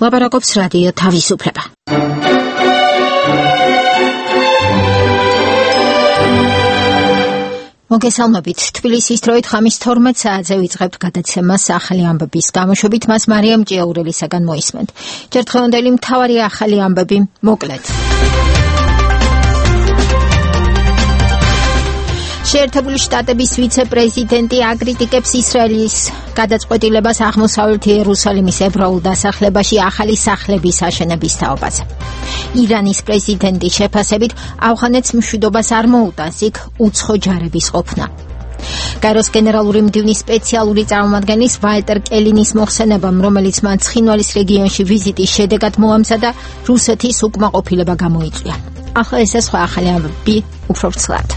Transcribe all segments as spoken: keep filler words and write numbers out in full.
ლაპარაკობს რადიო თავისუფლება. მოგესალმებით. თბილისის დროით ხამის თორმეტ საათზე ვიწყებთ გადაცემას ახალი ამბების გამოშვებით. მას მარიამ ჭიაურელისაგან მოისმენთ. ჯერ დღევანდელი მთავარი ახალი ამბები მოკლედ. შეერთებული შტატების ვიცე-პრეზიდენტი აკრიტიკებს ისრაელის გადაწყვეტილებას აღმოსავლეთ იერუსალიმის ებრაულ დასახლებაში ახალი სახლების აშენების თაობაზე. ირანის პრეზიდენტის შეფასებით ავღანეთს მშვიდობას არ მოუტანს იქ უცხო ჯარების ყოფნა. გაეროს გენერალური მდივნის სპეციალური წარმომადგენლის ვალტერ კელინის მოხსენებამ, რომელიც მან ცხინვალის რეგიონში ვიზიტის შედეგად მოამზადა, რუსეთის უკმაყოფილება გამოიწვია. ახლა ესე სხვა ახალი ამბები უფრო ვრცლად.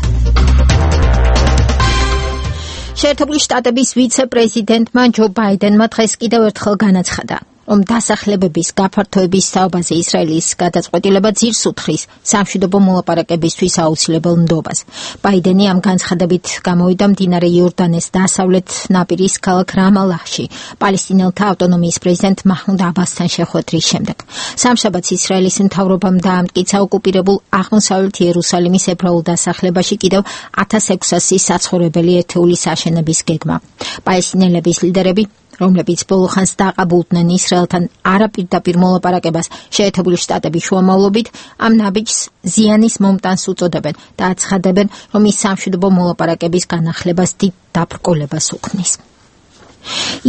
შეერთებული შტატების ვიცე-პრეზიდენტმა ჯო ბაიდენმა დღეს კიდევ ერთხელ განაცხადა, რომ დასახლებების გაფართოების თაობაზე ისრაელის გადაწყვეტილება ძირს უთხრის სამშვიდობო მოლაპარაკებისთვის აუცილებელ ნდობას. ბაიდენი ამ განცხადებით გამოვიდა მდინარე იორდანეს დასავლეთ ნაპირის ქალაქ რამალაჰში პალესტინელთა ავტონომიის პრეზიდენტ მაჰმუდ აბასთან შეხვედრის შემდეგ. სამშაბათს ისრაელის მთავრობამ დაამტკიცა ოკუპირებულ აღმოსავლეთ იერუსალიმის ებრაულ დასახლებაში კიდევ ათას ექვსასი საცხოვრებელი ერთეულის აშენების გეგმა. პალესტინელების ლიდერები, რომლებიც ბოლოხანს დაყაბულდნენ ისრაელთან არაპირდაპირ მოლაპარაკებას შეერთებული შტატების შუამავლობით, ამ ნაბიჯს ზიანის მომტანს უწოდებენ და აცხადებენ, რომ ის სამშვიდობო მოლაპარაკების განახლებას დიდ დაბრკოლებას უქმნის.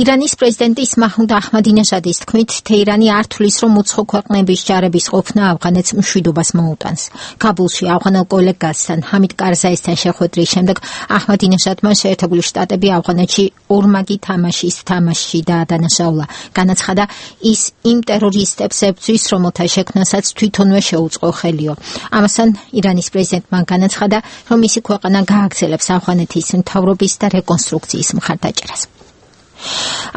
ირანის პრეზიდენტის მაჰმუდ აჰმადინეჟადის თქმით, თეირანი არ თვლის, რომ უცხო ქვეყნების ჯარების ყოფნა ავღანეთს მშვიდობას მოუტანს. კაბულში ავღანელ კოლეგასთან ჰამიდ კარზაისთან შეხვედრის შემდეგ აჰმადინეჟადმა შეერთებული შტატები ავღანეთში ორმაგი თამაშის თამაშში დაადანაშაულა. განაცხადა, ის იმ ტერორისტებს ებრძვის, რომელთა შექმნასაც თვითონვე შეუწყო ხელიო. ამასთან ირანის პრეზიდენტმა განაცხადა, რომ მისი ქვეყანა გააგრძელებს ავღანეთის მთავრობის და რეკონსტრუქციის მხარდაჭერას.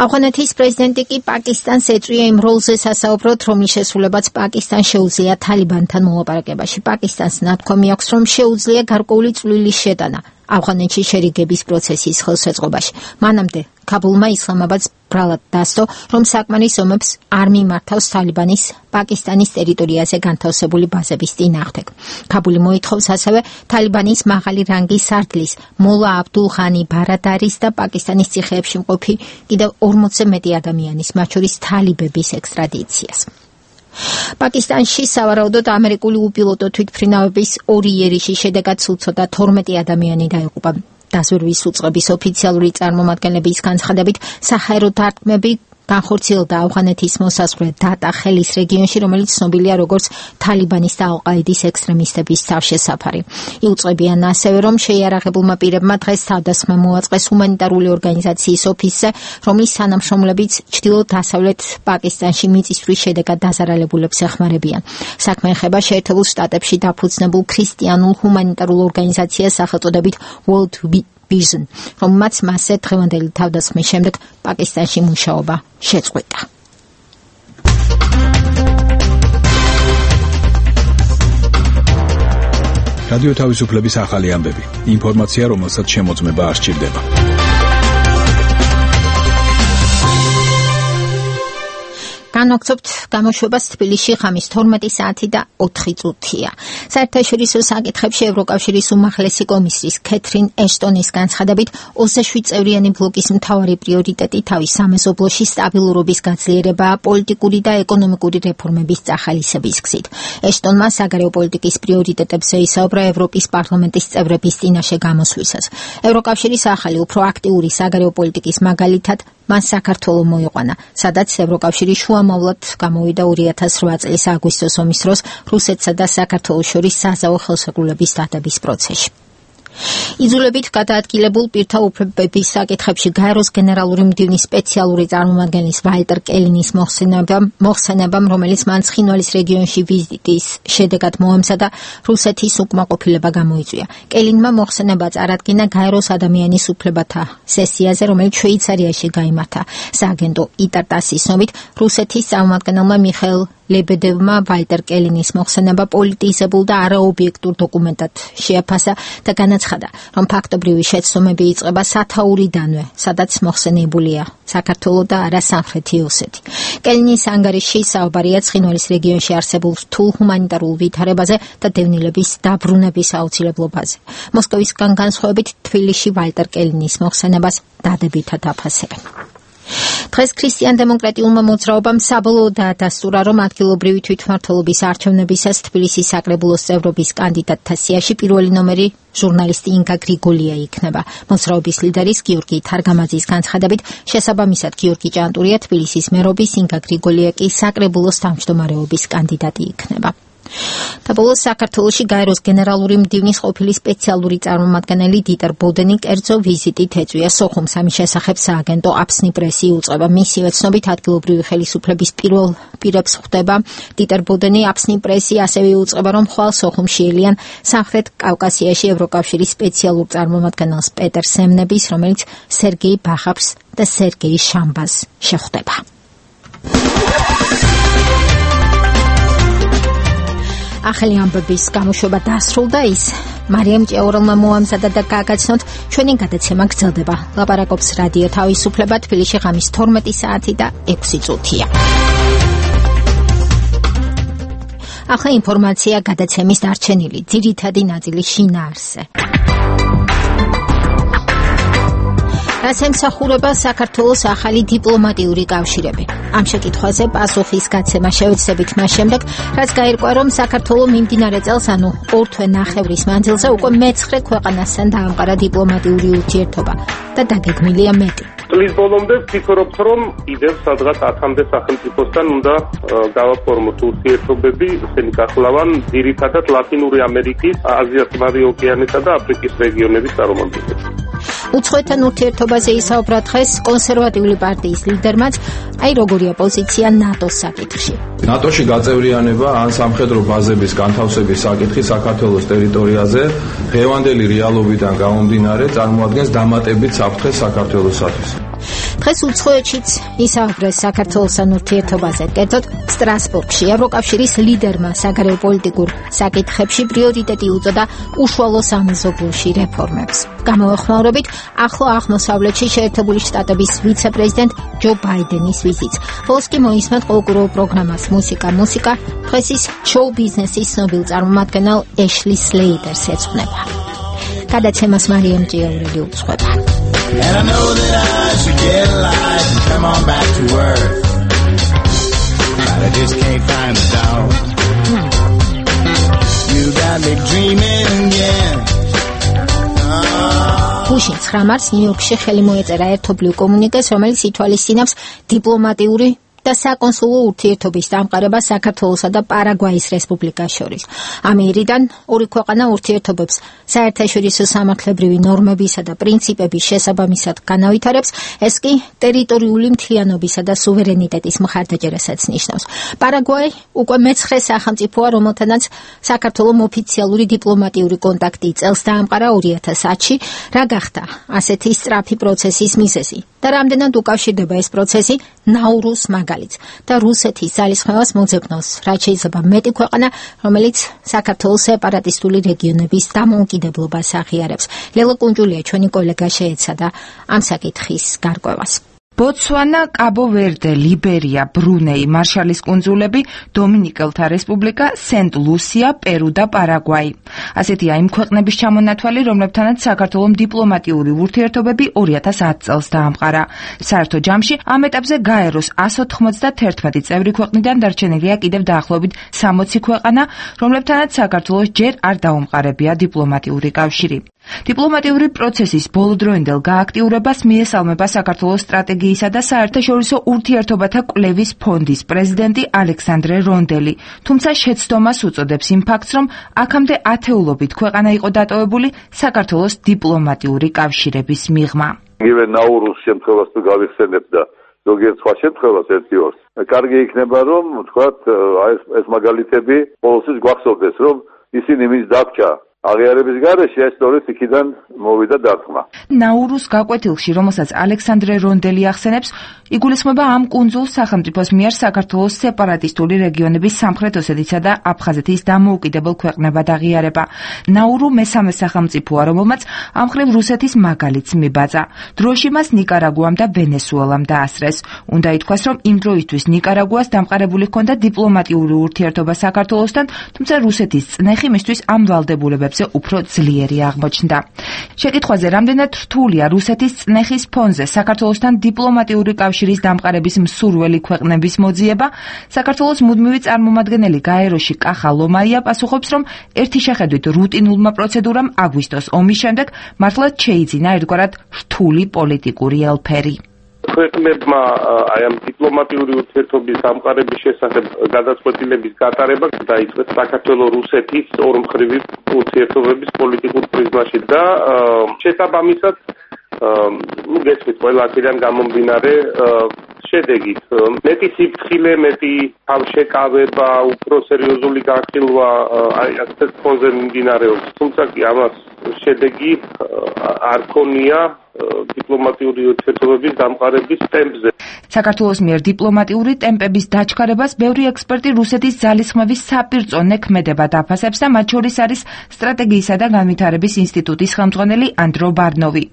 ავღანეთის პრეზიდენტი კი პაკისტანს ეწვია იმ როლზე სასაუბროთ, რომლის შესრულებაც პაკისტანს შეუძლია თალიბანთან მოლაპარაკებაში. პაკისტანს ნათქვამი აქვს, რომ შეუძლია გარკვეული წვლილის შეტანა ავღანეთში შერიგების პროცესის ხელშეწყობაში. მანამდე ქაბულმა ისლამაბადს ბრალად დასდო, რომ საკმარის ომებს არ მიმართავს თალიბანის პაკისტანის ტერიტორიაზე განთავსებული ბაზების წინააღმდეგ. ქაბული მოითხოვს ასევე თალიბანის მაღალი რანგის სარდლის მოლა აბდულ ღანი ბარადარის და პაკისტანის ციხეებში მყოფი კიდევ ორმოცზე მეტი ადამიანის, მათ შორის თალიბების ექსტრადიციას. პაკისტანში სავარაუდოდ ამერიკული უპილოტო თვითმფრინავების ორი იერიში შედეგად უცოდა თორმეტი ადამიანი დაიღუპა. დაზვერვის უწყების ოფიციალური წარმომადგენლების განცხადებით, საჰაერო დარტყმები განხორციელდა ავღანეთის მოსაზღვრე დატა ხელის რეგიონში, რომელიც ცნობილია როგორც თალიბანის და ალ-ყაიდის ექსტრემისტების თავშესაფარი. იუწყებიან ასევე, რომ შეიარაღებულმა პირებმა დღეს თავდასხმა მოაწყეს ჰუმანიტარული ორგანიზაციის ოფისზე, რომლის თანამშრომლებიც ჩრდილო-დასავლეთ პაკისტანში მიწისძვრის შედეგად დაზარალებულებს ეხმარებიან. საქმე ეხება შეერთებულ შტატებში დაფუძნებულ ქრისტიანულ ჰუმანიტარულ ორგანიზაციას სახელწოდებით World Vision, რომელმაც მასზე დღევანდელი თავდასხმის შემდეგ პაკისტანში მუშაობა შეწყვიტა. რადიო თავისუფლების ახალი ამბები. ინფორმაცია, რომელსაც შემოწმება არ სჭირდება. განვაგრძობთ გამოშვებას თბილისში ხამის თორმეტი საათი და ოთხი წუთია. საერთაშორისო საკითხებში ევროკავშირის უმაღლესი კომისრის ქეთრინ ეშტონის განცხადებით, ოცდაშვიდ წევრიანი ბლოკის მთავარი პრიორიტეტი თავის სამეზობლოში სტაბილურობის გაძლიერებაა პოლიტიკური და ეკონომიკური რეფორმების წახალისების გზით. ეშტონმა საგარეო პოლიტიკის პრიორიტეტებზე ისაუბრა ევროპის პარლამენტის წევრების წინაშე გამოსვლისას. ევროკავშირის ახალი უფრო აქტიური საგარეო პოლიტიკის მაგალითად მან საქართველო მოიყვანა, სადაც ევროკავშირი შუამავლად გამოვიდა ორი ათას რვა წლის აგვისტოს ომის დროს რუსეთსა და საქართველოს შორის საზავო ხელშეკრულების დადების პროცესში. იძულებით გადაადგილებულ პირთა უფლებების საკითხებში გაეროს გენერალური მდივნის სპეციალური წარმომადგენლის ვალტერ კელინის მოხსენებამ, რომელიც მან ცხინვალის რეგიონში ვიზიტის შედეგად მოამზადა, რუსეთის უკმაყოფილება გამოიწვია. კელინმა მოხსენება წარადგინა გაეროს ადამიანის უფლებათა სესიაზე, რომელიც შვეიცარიაში გაიმართა. სააგენტო იტარტასის ცნობით, რუსეთის წარმომადგენელმა მიხაილ ლებედევმა ვალტერ კელინის მოხსენება პოლიტიზებულ და არაობიექტურ დოკუმენტად შეაფასა და განაცხადა, რომ ფაქტობრივი შეცდომები იწყება სათაურიდანვე, სადაც მოხსენებულია საქართველო და არა სამხრეთი ოსეთი. კელნის ანგარიში საუბარია ცხინვალის რეგიონში არსებულ რთულ ჰუმანიტარულ ვითარებაზე და დევნილების დაბრუნების აუცილებლობაზე. მოსკოვისგან განსხვავებით თბილისში ვალტერ კელნის მოხსენებას დადებითად აფასებენ. დღეს ქრისტიან-დემოკრატიულმა მოძრაობამ საბოლოოდაა დასტურა, რომ ადგილობრივი თვითმმართველობის არჩევნებისას თბილისის საკრებულოს წევრობის კანდიდატთა სიაში პირველი ნომერი ჟურნალისტი ინგა გრიგოლია იქნება. მოძრაობის ლიდერის გიორგი თარგამაძის განცხადებით, შესაბამისად გიორგი ჭანტურია თბილისის მერობის, ინგა გრიგოლია კი საკრებულოს თავმჯდომარეობის კანდიდატი იქნება. და ბოლოს საქართველოში გაეროს გენერალური მდივნის ყოფილი სპეციალური წარმომადგენელი დიტერ ბოდენი კერძო ვიზიტით ეწვია სოხუმს. ამის შესახებ სააგენტო აფსნი პრესი უწყება. მისივე ცნობით ადგილობრივი ხელისუფლების პირველ პირებს ხვდება. დიტერ ბოდენი აფსნი პრესი ასევე უწყება, რომ ხვალ სოხუმში ელიან სამხრეთ კავკასიაში ევროკავშირის სპეციალურ წარმომადგენელს პეტერ სემნების, რომელიც სერგეი ბახაფს და სერგეი შამბას შეხვდება. ახალი ამბების გამოშვება დასრულდა ის. მარიამ ჭიაურელმა მოამზადა და გააგაცნოთ, ჩვენი გადაცემა გრძელდება. ლაპარაკობს რადიო თავისუფლება, თბილისში ღამის თორმეტი საათი და ექვსი წუთია. ახლა ინფორმაცია გადაცემის დარჩენილი ძირითადი ნაწილის შინაარსზე. რაც ემსახურება საქართველოს ახალი დიპლომატიური კავშირები. ამ შეკითხვაზე პასუხის გაცემა შევეცდებით მას შემდეგ, რაც გაირკვა, რომ საქართველო მიმდინარე წელს, ანუ ორ თვე ნახევრის მანძილზე უკვე მეცხრე ქვეყანასთან დაამყარა დიპლომატიური ურთიერთობა და დაგეგმილია მეტი. წლის ბოლომდე ვფიქრობთ, რომ კიდევ სადღაც ათამდე სახელმწიფოსთან უნდა გავაფორმოთ ურთიერთობები, ესენი გახლავან ძირითადად ლათინური ამერიკის, აზია-წყნარი ოკეანისა და აფრიკის რეგიონების წარმომადგენლები. უცხოეთთან ურთიერთობაზე ისაუბრა დღეს კონსერვატიული პარტიის ლიდერმაც, აი როგორია პოზიცია ნატოს საკითხში. ნატოში გაწევრიანება ან სამხედრო ბაზების განთავსების საკითხი საქართველოს ტერიტორიაზე დღევანდელი რეალობიდან გამომდინარე წარმოადგენს დამატებით საფრთხეს საქართველოსათვის. დღეს უცხოეთშიც ისაუბრეს საქართველოსთან ურთიერთობაზე, კერძოდ სტრასბურგში. ევროკავშირის ლიდერმა საგარეო პოლიტიკურ საკითხებში პრიორიტეტი უწოდა უშუალო სამეზობლოში რეფორმებს. გამოეხმაურებით ახლო აღმოსავლეთში შეერთებული შტატების ვიცე-პრეზიდენტ ჯო ბაიდენის ვიზიტს. ბოლოს კი მოისმენთ ყოველკვირეულ პროგრამას მუსიკა მუსიკა. დღეს ის შოუ ბიზნესის ცნობილ წარმომადგენელ ეშლი სლეიტერს ეძღვნება. გადაცემას მარიამ ჭიაურელი უძღვება. And I know that I should get alive and come on back to earth, but I just can't find the dog. Hmm. You got me dreaming again. ბუში ცხრა მარტს ნიუ-იორკში ხელი მოეწერა ერთობლივ კომუნიკეს, რომელიც ითვალისწინებს დიპლომატიური და საკონსულო ურთიერთობის დამყარება საქართველოსა და პარაგვაის რესპუბლიკას შორის. ამერიდან ორი ქვეყანა ურთიერთობებს საერთაშორისო სამართლებრივი ნორმებისა და პრინციპების შესაბამისად განავითარებს, ეს კი ტერიტორიული მთლიანობისა და სუვერენიტეტის მხარდაჭერასაც ნიშნავს. პარაგვაი უკვე მეცხრე სახელმწიფოა, რომელთანაც საქართველოს ოფიციალური დიპლომატიური კონტაქტი წელს დაამყარა ორი ათას ათში, რა გახდა ასეთი სწრაფი პროცესის მიზეზი და რამდენად უკავშირდება ეს პროცესი ნაურუს მაგალითს და რუსეთის ძალისხმევას მოძებნავს, რაც შეიძლება მეტი ქვეყანა, რომელიც საქართველოს სეპარატისტული რეგიონების დამოუკიდებლობას აღიარებს. ლელა კუნჯულია ჩვენი კოლეგა შეეცადა ამ საკითხის გარკვევას. ბოტსვანა, კაბო-ვერდე, ლიბერია, ბრუნეი, მარშალის კუნძულები, დომინიკელთა რესპუბლიკა, სენტ-ლუსია, პერუ და პარაგვაი. ასეთია იმ ქვეყნების ჩამონათვალი, რომლებთანაც საქართველოს დიპლომატიური ურთიერთობები ორი ათას ათ წელს დაამყარა. საერთო ჯამში ამ ეტაპზე გაეროს εκατს ოცდაათმეტი წევრი ქვეყნიდან დარჩენილია კიდევ დაახლოებით სამოცი ქვეყანა, რომლებთანაც საქართველოს ჯერ არ დაუმყარებია დიპლომატიური კავშირი. დიპლომატიური პროცესის ბოლოდროინდელ გააქტიურებას მიესალმება საქართველოს სტრატეგიისა და საერთაშორისო ურთიერთობათა კვლევის ფონდის პრეზიდენტი ალექსანდრე რონდელი, თუმცა შეცდომას უწოდებს იმ ფაქტს, რომ აქამდე ათეულობით ქვეყანა იყო დატოვებული საქართველოს დიპლომატიური კავშირების მიღმა. იგივე ნაურუს შემთხვევას თუ გავიხსენებ და ზოგიერთ სხვა შემთხვევას ერთი ორს. კარგი იქნება, რომ თქვათ ეს ეს მაგალითები ყოველთვის გვახსოვდეს, რომ ისინი მის დაბჭა აღიარების გარეშე ეს სწორედ იქიდან მოვიდა დარტყმა. ნაურუს გაკვეთილში, რომელსაც ალექსანდრე რონდელი ახსენებს, იგულისხმება ამ კუნძულ სახელმწიფოს მიერ საქართველოს სეპარატისტული რეგიონების სამხრეთ ოსეთისა და აფხაზეთის დამოუკიდებელ ქვეყნებად აღიარება. ნაურუ მესამე სახელმწიფოა, რომელმაც ამ მხრივ რუსეთის მაგალითს მიბაძა. დროში მას ნიკარაგუამ და ვენესუელამ დაასწრეს. უნდა ითქვას, რომ იმ დროისთვის ნიკარაგუას დამყარებული ჰქონდა დიპლომატიური ურთიერთობა საქართველოსთან, თუმცა რუსეთის წნეხი მისთვის ამ ვალდებულებებზე უფრო ძლიერი აღმოჩნდა. შეკითხვაზე, რამდენად რთულია რუსეთის წნეხის ფონზე საქართველოსთან დიპლომატიური კავშირის დამყარების მსურველი ქვეყნების მოძიება, საქართველოს მუდმივი წარმომადგენელი გაეროში კახა ლომაია პასუხობს, რომ ერთი შეხედვით რუტინულმა პროცედურამ აგვისტოს ომის შემდეგ მართლაც შეიძინა ერთგვარად რთული პოლიტიკური ელფერი. ქვეყნებმა აი ამ დიპლომატიური ურთიერთობის დამყარების შესახებ გადაწყვეტილების გატარება დაიწყეს საქართველოს-რუსეთის ორმხრივი ურთიერთობების პოლიტიკურ პრიზმაში და შესაბამისად ну გესმით ყველა აქედან გამომდინარე შედეგით მეტი სიფრთხილე, მეტი თავშეკავება, უფრო სერიოზული განხილვა აი ასეთ ფონზე მიმდინარეობს. თუმცა კი ამას შედეგი არ ქონია დიპლომატიური ურთიერთობების დამყარების ტემპზე. საქართველოს მიერ დიპლომატიური ტემპების დაჩქარებას ბევრი ექსპერტი რუსეთის ძალისხმევის საპირწონე ქმედება დაფასებს და მათ შორის არის სტრატეგიისა და განვითარების ინსტიტუტის ხელმძღვანელი ანდრო ბარნოვი.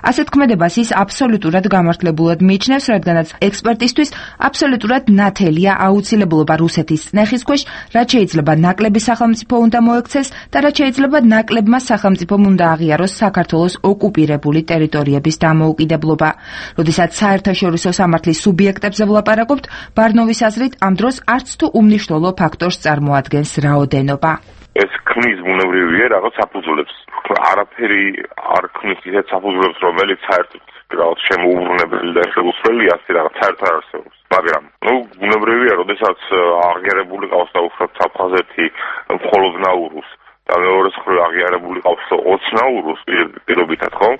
ასეთ ქმედებას ის აბსოლუტურად გამართლებულად მიიჩნევს, რადგანაც ექსპერტისთვის აბსოლუტურად ნათელია აუცილებლობა რუსეთის წნეხის ქვეშ, რაც შეიძლება ნაკლები სახელმწიფო უნდა მოექცეს და რაც შეიძლება ნაკლებმა სახელმწიფომ უნდა აღიაროს საქართველოს ოკუპირებული ტერიტორიების დამოუკიდებლობა. როდესაც საერთაშორისო სამართლის სუბიექტებზე ვლაპარაკობთ, ბარნოვის აზრით ამ დროს არც თუ უმნიშვნელო ფაქტორს წარმოადგენს რაოდენობა. ეს ქმნის ბუნებრივია რაღაც საფუძვლებს. არაფერი არ ქმნის ისეთ საფუძვლებს, რომელიც საერთოდ რაღაც შემოუბრუნებელი და შეუსწრელი ასე რაღაც საერთოდ არ არსებობს. მაგრამ ნუ ბუნებრივია, როდესაც აღიარებული ყავს და უბრალოდ აფხაზეთი მხოლოდ ნაურუს და მეორე მხრივ აღიარებული ყავს ოც ნაურუს პირობითად, ხო?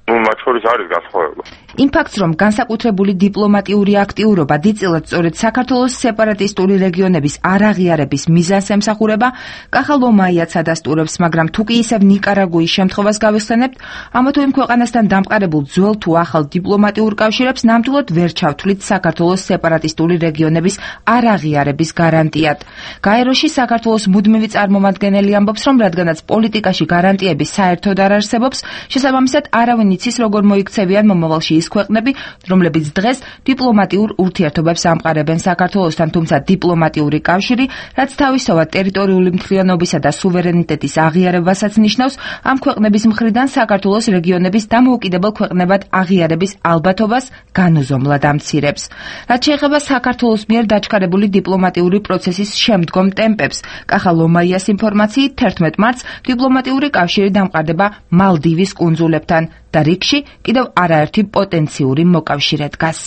ну მათ შორის არის განსხვავება. იმ ფაქტს, რომ განსაკუთრებული დიპლომატიური აქტიურობა დიდწილად სწორედ საქართველოს სეპარატისტული რეგიონების არაღიარების მიზანს ემსახურება, კახა ლომაიაც ადასტურებს, მაგრამ თუ კი ისევ ნიკარაგუის შემთხვევას გავიხსენებთ, ამა თუ იმ ქვეყანასთან დამყარებულ ძველ თუ ახალ დიპლომატიურ კავშირებს ნამდვილად ვერ ჩავთვლით საქართველოს სეპარატისტული რეგიონების არაღიარების გარანტიად. გაეროში საქართველოს მუდმივი წარმომადგენელი ამბობს, რომ რადგანაც პოლიტიკაში გარანტიები საერთოდ არ არსებობს, შესაბამისად არავინ იცის, როგორ მოიქცევიან მომავალში ის ქვეყნები, რომლებიც დღეს დიპლომატიურ ურთიერთობებს ამყარებენ საქართველოსთან, თუმცა დიპლომატიური კავშირი, რაც თავისთავად ტერიტორიული მთლიანობისა და სუვერენიტეტის აღიარებასაც ნიშნავს, ამ ქვეყნების მხრიდან საქართველოს რეგიონების დამოუკიდებელ ქვეყნებად აღიარების ალბათობას განუზომლად ამცირებს. რაც შეეხება საქართველოს მიერ დაჩქარებული დიპლომატიური პროცესის შემდგომ ტემპებს, კახა ლომაიას ინფორმაციით თერთმეტ მარტს დიპლომატიური კავშირი დამყარდება მალდივის კუნძულებთან და რიგში კიდევ არაერთი პოტენციური მოკავშირე დგას.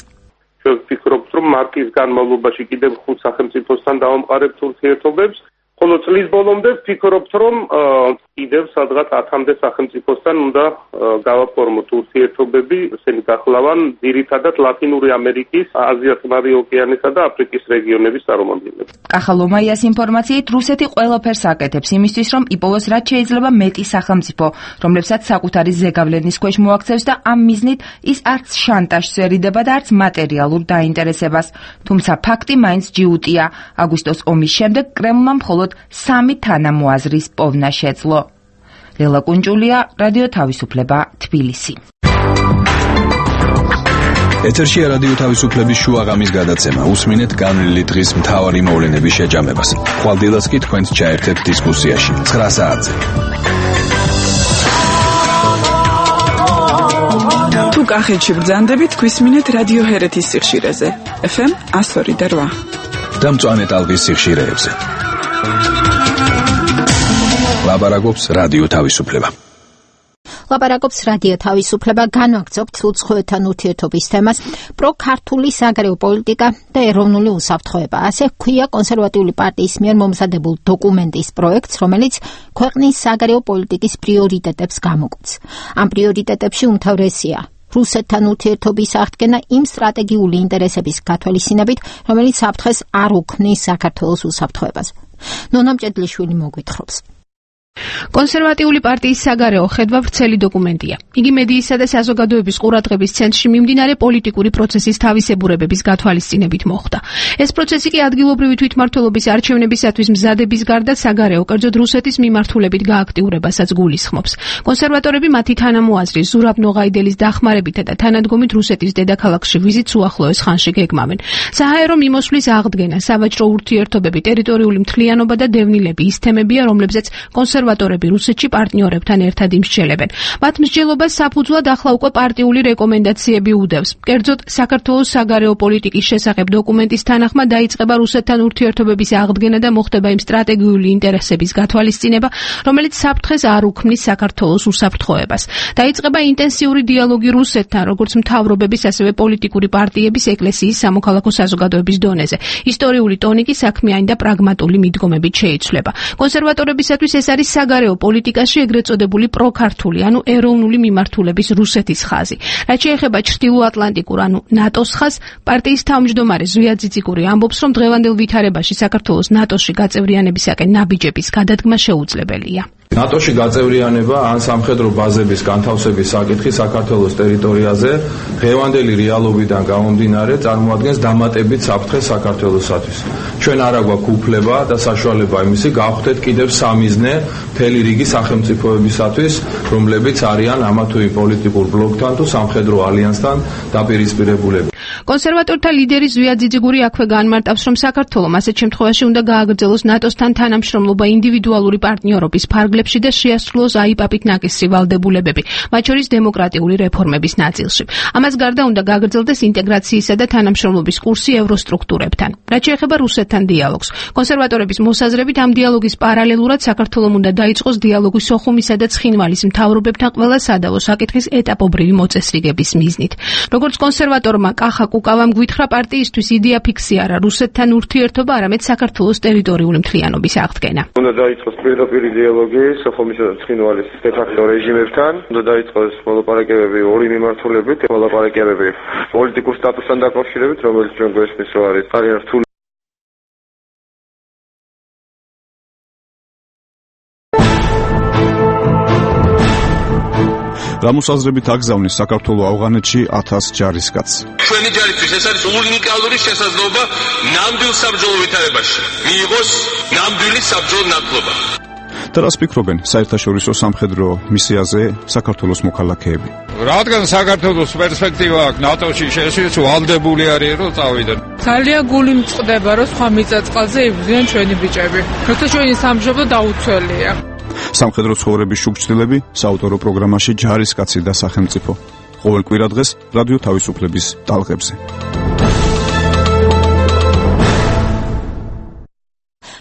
ვფიქრობ, რომ მარტის განმავლობაში კიდევ ხუთ სახელმწიფოსთან დავამყარებთ ურთიერთობებს, ხოლო წლის ბოლომდე ვფიქრობთ, რომ კიდევ სადღაც ათამდე სახელმწიფოსთან უნდა გავაფორმოთ ურთიერთობები, ესენი გახლავან ძირითადად ლათინური ამერიკის, აზია-წყნარი ოკეანისა და აფრიკის რეგიონების წარმომადგენლები. კახა ლომაიას ინფორმაციით რუსეთი ყველაფერს აკეთებს იმისთვის, რომ იპოვოს რაც შეიძლება მეტი სახელმწიფო, რომლებსაც საკუთარი ზეგავლენის ქვეშ მოაქცევს და ამ მიზნით ის არც შანტაჟს ერიდება და არც მატერიალურ დაინტერესებას. თუმცა ფაქტი მაინც ჯიუტია. აგვისტოს ომის შემდეგ კრემლმა მხოლოდ სამი თანამოაზრის პოვნა შეძლო. ლელა კუნჭულია, რადიო თავისუფლება, თბილისი. ეთერშია რადიო თავისუფლების შუაღამის გადაცემა. უსმინეთ განვლილი დღის მთავარი მოვლენების შეჯამებას. ხვალდილას კი თქვენს ჩაერთეთ დისკუსიაში. ცხრა საათზე. თუ კახეთში ბრძანდებით, გვისმინეთ რადიო ჰერეთის სიხშირეზე. ეფ ემ εκατო ორი და რვა. და მწვანე ტალღის სიხშირეებზე. ლაპარაკობს რადიო თავისუფლება. ლაპარაკობს რადიო თავისუფლება, განვაგრძობთ უცხოეთთან ურთიერთობის თემას, პროქართული საგარეო პოლიტიკა და ეროვნული უსაფრთხოება. ასე ჰქვია კონსერვატიული პარტიის მიერ მომზადებულ დოკუმენტის პროექტს, რომელიც ქვეყნის საგარეო პოლიტიკის პრიორიტეტებს გამოკვეთს. ამ პრიორიტეტებში უმთავრესია რუსეთთან ურთიერთობის აღდგენა იმ სტრატეგიული ინტერესების გათვალისწინებით, რომელიც საფრთხეს არ უქმნის საქართველოს უსაფრთხოებას. ნონა მჭედლიშვილი მოგვითხრობს. კონსერვატიული პარტიის საგარეო ხედვა ვრცელი დოკუმენტია. იგი მედიისა და საზოგადოების ყურადღების ცენტრში მიმდინარე პოლიტიკური პროცესის თავისებურებების გათვალისწინებით მოხდა. ეს პროცესი კი ადგილობრივი თვითმმართველობის არჩევნებისათვის მზადების გარდა საგარეო კერძოდ რუსეთის მიმართულებით გააქტიურებასაც გულისხმობს. კონსერვატორები მათი თანამოაზრის ზურაბ ნოღაიდელის დახმარებითა და თანადგომით რუსეთის დედაქალაქში ვიზიტს უახლოეს ხანში გეგმავენ. საჰაერო მიმოსვლის აღდგენა, სავაჭრო ურთიერთობები, ტერიტორიული მთლიანობა და დევნილები ის თემებია, რომლებზეც კონსერვატორები რუსეთში პარტნიორებთან ერთად იმსჯელებენ. მათ მსჯელობას საფუძვლად ახლა უკვე პარტიული რეკომენდაციები უდევს. კერძოდ, საქართველოს საგარეო პოლიტიკის შესახებ დოკუმენტის თანახმად დაიწყება რუსეთთან ურთიერთობების აღდგენა და მოხდება იმ სტრატეგიული ინტერესების გათვალისწინება, რომელიც საფრთხეს არ უქმნის საქართველოს უსაფრთხოებას. დაიწყება ინტენსიური დიალოგი რუსეთთან, როგორც მთავრობების, ასევე პოლიტიკური პარტიების, ეკლესიის, სამოქალაქო საზოგადოების დონეზე. ისტორიული ტონი კი საქმიანი და პრაგმატული მიდგომებით შეიცვლება. კონსერვატორებისათვის ეს არის საგარეო პოლიტიკაში ეგრეთ წოდებული პროქართული, ანუ ეროვნული მიმართულების რუსეთის ხაზი. რაც შეეხება ჩრდილოატლანტიკურ, ანუ ნატოს ხაზს, პარტიის თავმჯდომარე ზვია ძიციკური ამბობს, რომ დღევანდელ ვითარებაში საქართველოს ნატოში გაწევრიანებისაკენ ნაბიჯების გადადგმა შეუძლებელია. ნატოში გაწევრიანება ან სამხედრო ბაზების განთავსების საკითხი საქართველოს ტერიტორიაზე დღევანდელი რეალობიდან გამომდინარე წარმოადგენს დამატებით საფრთხეს საქართველოსათვის. ჩვენ არ აგვაქვს უფლება და საშუალება იმისი გავხდეთ კიდევ სამიზნე მთელი რიგი სახელმწიფოებისათვის, რომლებიც არიან ამა თუ იმ პოლიტიკურ ბლოკთან თუ სამხედრო ალიანსთან დაპირისპირებულები. კონსერვატორთა ლიდერი ზვია ძიძიგური აქვე განმარტავს, რომ საქართველოს ასეთ შემთხვევაში უნდა გააგრძელოს ნატოსთან თანამშრომლობა ინდივიდუალური პარტნიორობის ფარგლებში და შეასრულოს აიპაპით ნაკისრი ვალდებულებები, მათ შორის დემოკრატიული რეფორმების ნაწილში. ამას გარდა უნდა გააგრძელდეს ინტეგრაციისა და თანამშრომლობის კურსი ევროსტრუქტურებთან. რაც შეეხება რუსეთთან დიალოგს, კონსერვატორების მოსაზრებით ამ დიალოგის პარალელურად საქართველოს უნდა დაიწყოს დიალოგი სოხუმისა და ცხინვალის მთავრობებთან ყველა სადავო საკითხის ეტაპობრივი მოწესრიგების მიზნით. როგორც კონსერვატორმა კახა კუკავამ გვითხრა, პარტიისთვის იდეა ფიქსი არა რუსეთთან ურთიერთობა, არამედ საქართველოს ტერიტორიული მთლიანობის აღდგენა. უნდა დაიწყოს პირდაპირ დიალოგი სოხუმისა და ცხინვალის დე-ფაქტო რეჟიმებთან, უნდა დაიწყოს მოლაპარაკებები ორი მიმართულებით, მოლაპარაკებები პოლიტიკურ სტატუსთან დაკავშირებით, რომელიც ჩვენ გვესმის, რომ არის ძალიან რთული. გამოსაზრებით აგზავნის საქართველოს ავღანეთში ათას ჯარისკაცს. ჩვენი ჯარისთვის ეს არის უნიკალური შესაძლებლობა ნამდვილ საბრძოლო ვითარებაში მიიღოს ნამდვილი საბრძოლო ნათლობა. და რას ფიქრობენ საერთაშორისო სამხედრო მისიაზე საქართველოს მოქალაქეები? რადგან საქართველოს პერსპექტივა აქვს ნატოში შესვლის ვალდებული არის რომ წავიდნენ. ძალიან გული მწყდება რომ სხვა მიწა-წყალზე იბრძვიან ჩვენი ბიჭები. როცა ჩვენი სამშობლო დაუცველია. სამხედრო ცხოვრების შუქჩილები საავტორო პროგრამაში ჯარისკაცი და სახელმწიფო. ყოველ კვირადღეს რადიო თავისუფლების ტალღებზე.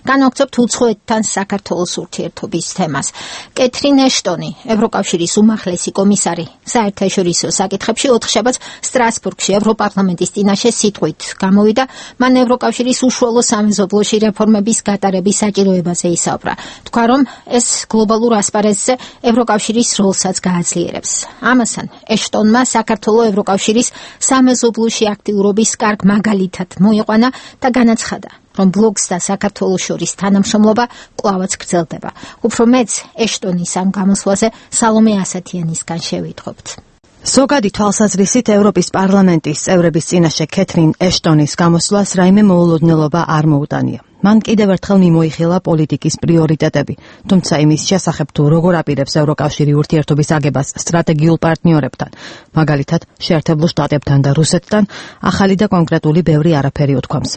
განვაგრძობთ უცხოეთთან საქართველოს ურთიერთობის თემას. კეთრინ ეშტონი, ევროკავშირის უმაღლესი კომისარი საერთაშორისო საკითხებში ოთხშაბათს სტრასბურგში ევროპარლამენტის წინაშე სიტყვით გამოვიდა. მან ევროკავშირის უშუალო სამეზობლოში რეფორმების გატარების საჭიროებაზე ისაუბრა. თქვა, რომ ეს გლობალურ ასპარეზზე ევროკავშირის როლსაც გააძლიერებს. ამასთან ეშტონმა საქართველოს ევროკავშირის სამეზობლოში აქტიურობის კარგ მაგალითად მოიყვანა და განაცხადა, რომ ბლოკს და საქართველოს შორის თანამშრომლობა კვლავაც გრძელდება. უფრო მეც ეშტონის ამ გამოსვლაზე სალომე ასათიანისგან შევიტყობთ. ზოგადი თვალსაზრისით ევროპის პარლამენტის წევრების წინაშე კეთრინ ეშტონის გამოსვლას რაიმე მოულოდნელობა არ მოუტანია. მან კიდევ ერთხელ მიმოიხილა პოლიტიკის პრიორიტეტები, თუმცა იმის შესახებ თუ როგორ აპირებს ევროკავშირი ურთიერთობის აგებას სტრატეგიულ პარტნიორებთან, მაგალითად შეერთებულ შტატებთან და რუსეთთან, ახალი და კონკრეტული ბევრი არაფერი უთქვამს.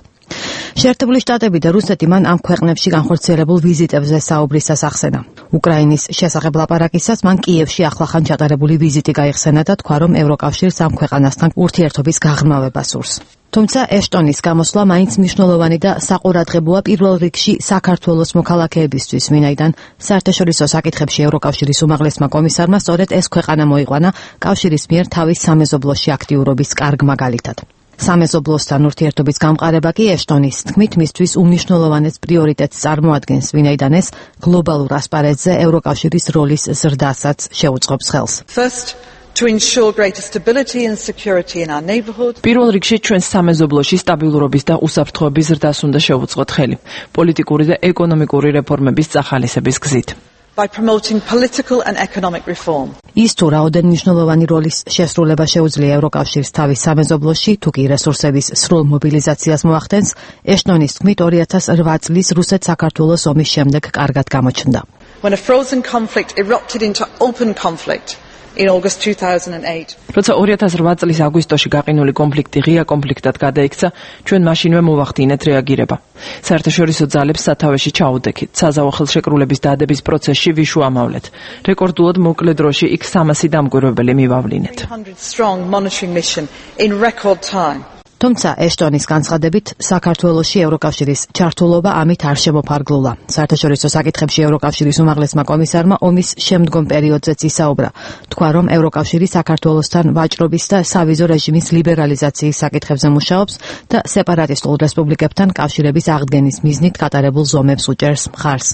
შეერთებული შტატები და რუსეთი მან ამ ქვეყნებში განხორციელებულ ვიზიტებზე საუბრისას ახსენა. უკრაინის შესახებ ლაპარაკისას მან კიევში ახლახან ჩატარებული ვიზიტი გაიხსენა და თქვა, რომ ევროკავშირს ამ ქვეყანასთან ურთიერთობის გაღრმავება სურს. თუმცა ეშტონის გამოსვლა მაინც მნიშვნელოვანი და საყურადღებოა პირველ რიგში საქართველოს მოქალაქეებისთვის, ვინაიდან საერთაშორისო საკითხებში ევროკავშირის უმაღლესმა კომისარმა სწორედ ეს ქვეყანა მოიყვანა კავშირის მიერ თავის სამეზობლოში აქტიურობის კარგ მაგალითად. სამეზობლოსთან ურთიერთობის გამყარება კი ეშტონის თქმით მისთვის უმნიშვნელოვანეს პრიორიტეტს წარმოადგენს, ვინაიდან ეს გლობალურ ასპარეზზე ევროკავშირის როლის ზრდასაც შეუწყობს ხელს. To ensure greater stability and security in our neighborhood. პირველ რიგში ჩვენს სამეზობლოში სტაბილურობის და უსაფრთხოების ზრდას უნდა შევუწყოთ ხელი, პოლიტიკური და ეკონომიკური რეფორმების წახალისების გზით. by promoting political and economic reform. ის თუ რაოდენ მნიშვნელოვანი როლის შესრულება შეუძლია ევროკავშირს თავის სამეზობლოში, თუ კი რესურსების სრულ მობილიზაციას მოახდენს, ეშტონის თქმით ორი ათას რვა წლის რუსეთ-საქართველოს ომის შემდეგ კარგად გამოჩნდა. When a frozen conflict erupted into open conflict in August two thousand eight. როცა ორი ათას რვა წლის აგვისტოში გაყინული კონფლიქტი ღია კონფლიქტად გადაიქცა, ჩვენ მაშინვე მოვახდინეთ რეაგირება. საერთაშორისო ძალებს სათავეში ჩაუდექით, საზავო ხელშეკრულების დადების პროცესში ვიშუამავლეთ. რეკორდულად მოკლე დროში იქ სამასი დამკვირვებელი მივავლინეთ. three hundred strong monitoring mission in record time. თუმცა ეშტონის განცხადებით საქართველოში ევროკავშირის ჩართულობა ამით არ შემოფარგლულა. საერთაშორისო საკითხებში ევროკავშირის უმაღლესმა კომისარმა ომის შემდგომ პერიოდზეც ისაუბრა. თქვა, რომ ევროკავშირი საქართველოსთან ვაჭრობის და სავიზო რეჟიმის ლიბერალიზაციის საკითხებზე მუშაობს და სეპარატისტულ რესპუბლიკებთან კავშირების აღდგენის მიზნით გატარებულ ზომებს უჭერს მხარს.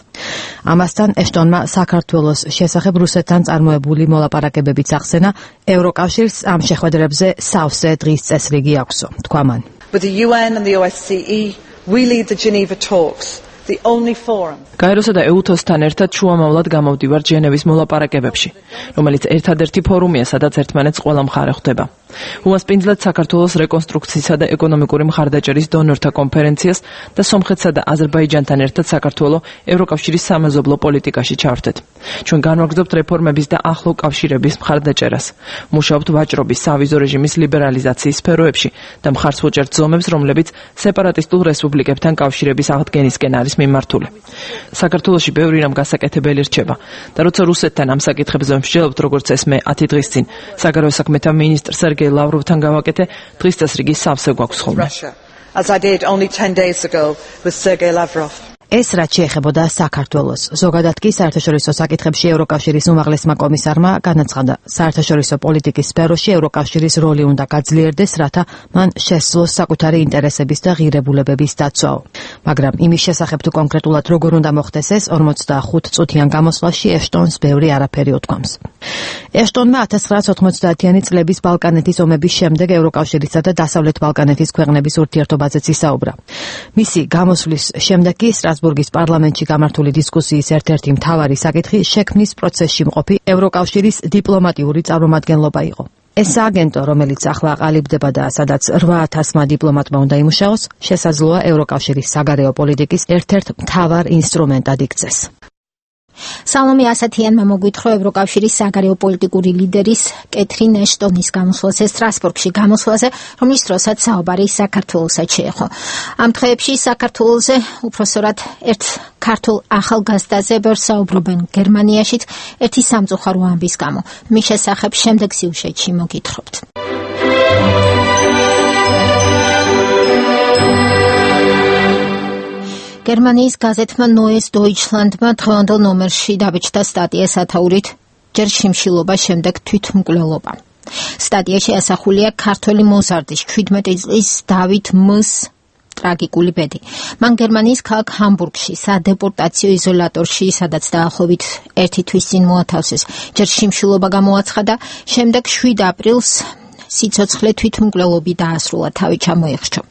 ამასთან ეშტონმა საქართველოს შესახებ რუსეთთან წარმოებული მოლაპარაკებებიც ახსენა, ევროკავშირს ამ შეხვედრებზე სავსე დღის წესრიგი აქვსო. With the U N and the O S C E, we lead the Geneva talks, the only forum. გაეროსა და ეუთოსთან ერთად შუამავლად გამოვდივარ ჟენევის მოლაპარაკებებში, რომელიც ერთადერთი ფორუმია, სადაც ერთმანეთს ყველა მხარე ხვდება. უმასპინძლად საქართველოს რეკონსტრუქციისა და ეკონომიკური მხარდაჭერის დონორთა კონფერენციას და სომხეთსა და აზერბაიჯანთან ერთად საქართველოს ევროკავშირის სამეზობლო პოლიტიკაში ჩავრთეთ. ჩვენ განვაგრძობთ რეფორმების და ახლო კავშირების მხარდაჭერას. მუშაობთ ვაჭრობის სავიზო რეჟიმის ლიბერალიზაციის სფეროებში და მხარს ვუჭერთ ზომებს, რომლებიც სეპარატისტულ რესპუბლიკებთან კავშირების აღდგენისკენ არის მიმართული. საქართველოში ბევრი რამ გასაკეთებელი რჩება და როცა რუსეთთან ამ საკითხებზე ვმსჯელობთ, როგორც ეს მე ათი დღის წინ საგარეო საქმეთა მინისტრ სერგეი ლავროვთან გავაკეთე, დღის წესრიგი სავსე გვაქვს ხოლმე. As I did only ten days ago with Sergei Lavrov. ეს რაც შეეხებოდა საქართველოს. ზოგადად კი საერთაშორისო საკითხებში ევროკავშირის უმაღლესმა კომისარმა განაცხადა, საერთაშორისო პოლიტიკის სფეროში ევროკავშირის როლი უნდა გაძლიერდეს, რათა მან შესძლოს საკუთარი ინტერესების და ღირებულებების დაცვაო. მაგრამ იმის შესახებ თუ კონკრეტულად როგორ უნდა მოხდეს ეს, ორმოცდახუთ წუთიან გამოსვლაში ეშტონს ბევრი არაფერი უთქვამს. ეშტონმა ათას ცხრაასი ოთხმოცდაათიანი წლების ბალკანეთის ომების შემდეგ ევროკავშირისა და დასავლეთ ბალკანეთის ქვეყნების ურთიერთობაზეც ისაუბრა. მისი გამოსვლის შემდეგ კი სტრასბურგის პარლამენტში გამართული დისკუსიის ერთ-ერთი მთავარი საკითხი შექმნის პროცესში მყოფი ევროკავშირის დიპლომატიური წარმომადგენლობა იყო. ეს სააგენტო, რომელიც ახლა აყალიბდება და სადაც რვა ათასმა დიპლომატმა უნდა იმუშაოს, შესაძლოა ევროკავშირის საგარეო პოლიტიკის ერთ-ერთ მთავარ ინსტრუმენტად იქცეს. სალომე ასათიანმა მოგვითხრა ევროკავშირის საგარეო პოლიტიკური ლიდერის კეთრინ ეშტონის გამოსვლაზე სტრასბურგში, გამოსვლაზე, რომლის დროსაც საუბარი საქართველოსაც შეეხო. ამ დღეებში საქართველოზე უпроსორად ერთ ქართულ ახალგაზრდაზე ვერ საუბრობენ გერმანიაშიც ერთი სამწუხარო ამბის გამო. მის შესახებ შემდეგ სიუჟეტში მოგითხრობთ. გერმანიის გაზეთმა Neues Deutschlandმა დღევანდელ ნომერში დაბეჭდა სტატია სათაურით ჯერ შიმშილობა, შემდეგ თვითმკვლელობა. სტატიაში ასახულია ქართველი მოზარდის შვიდმეტი წლის დავით მ-ს ტრაგიკული ბედი. მან გერმანიის ქალაქ ჰამბურგში სადეპორტაციო იზოლატორში, სადაც დაახლოებით ერთი თვის წინ მოათავსეს, ჯერ შიმშილობა გამოაცხადა, შემდეგ შვიდ აპრილს სიცოცხლე თვითმკვლელობით დაასრულა, თავი ჩამოიხრჩო.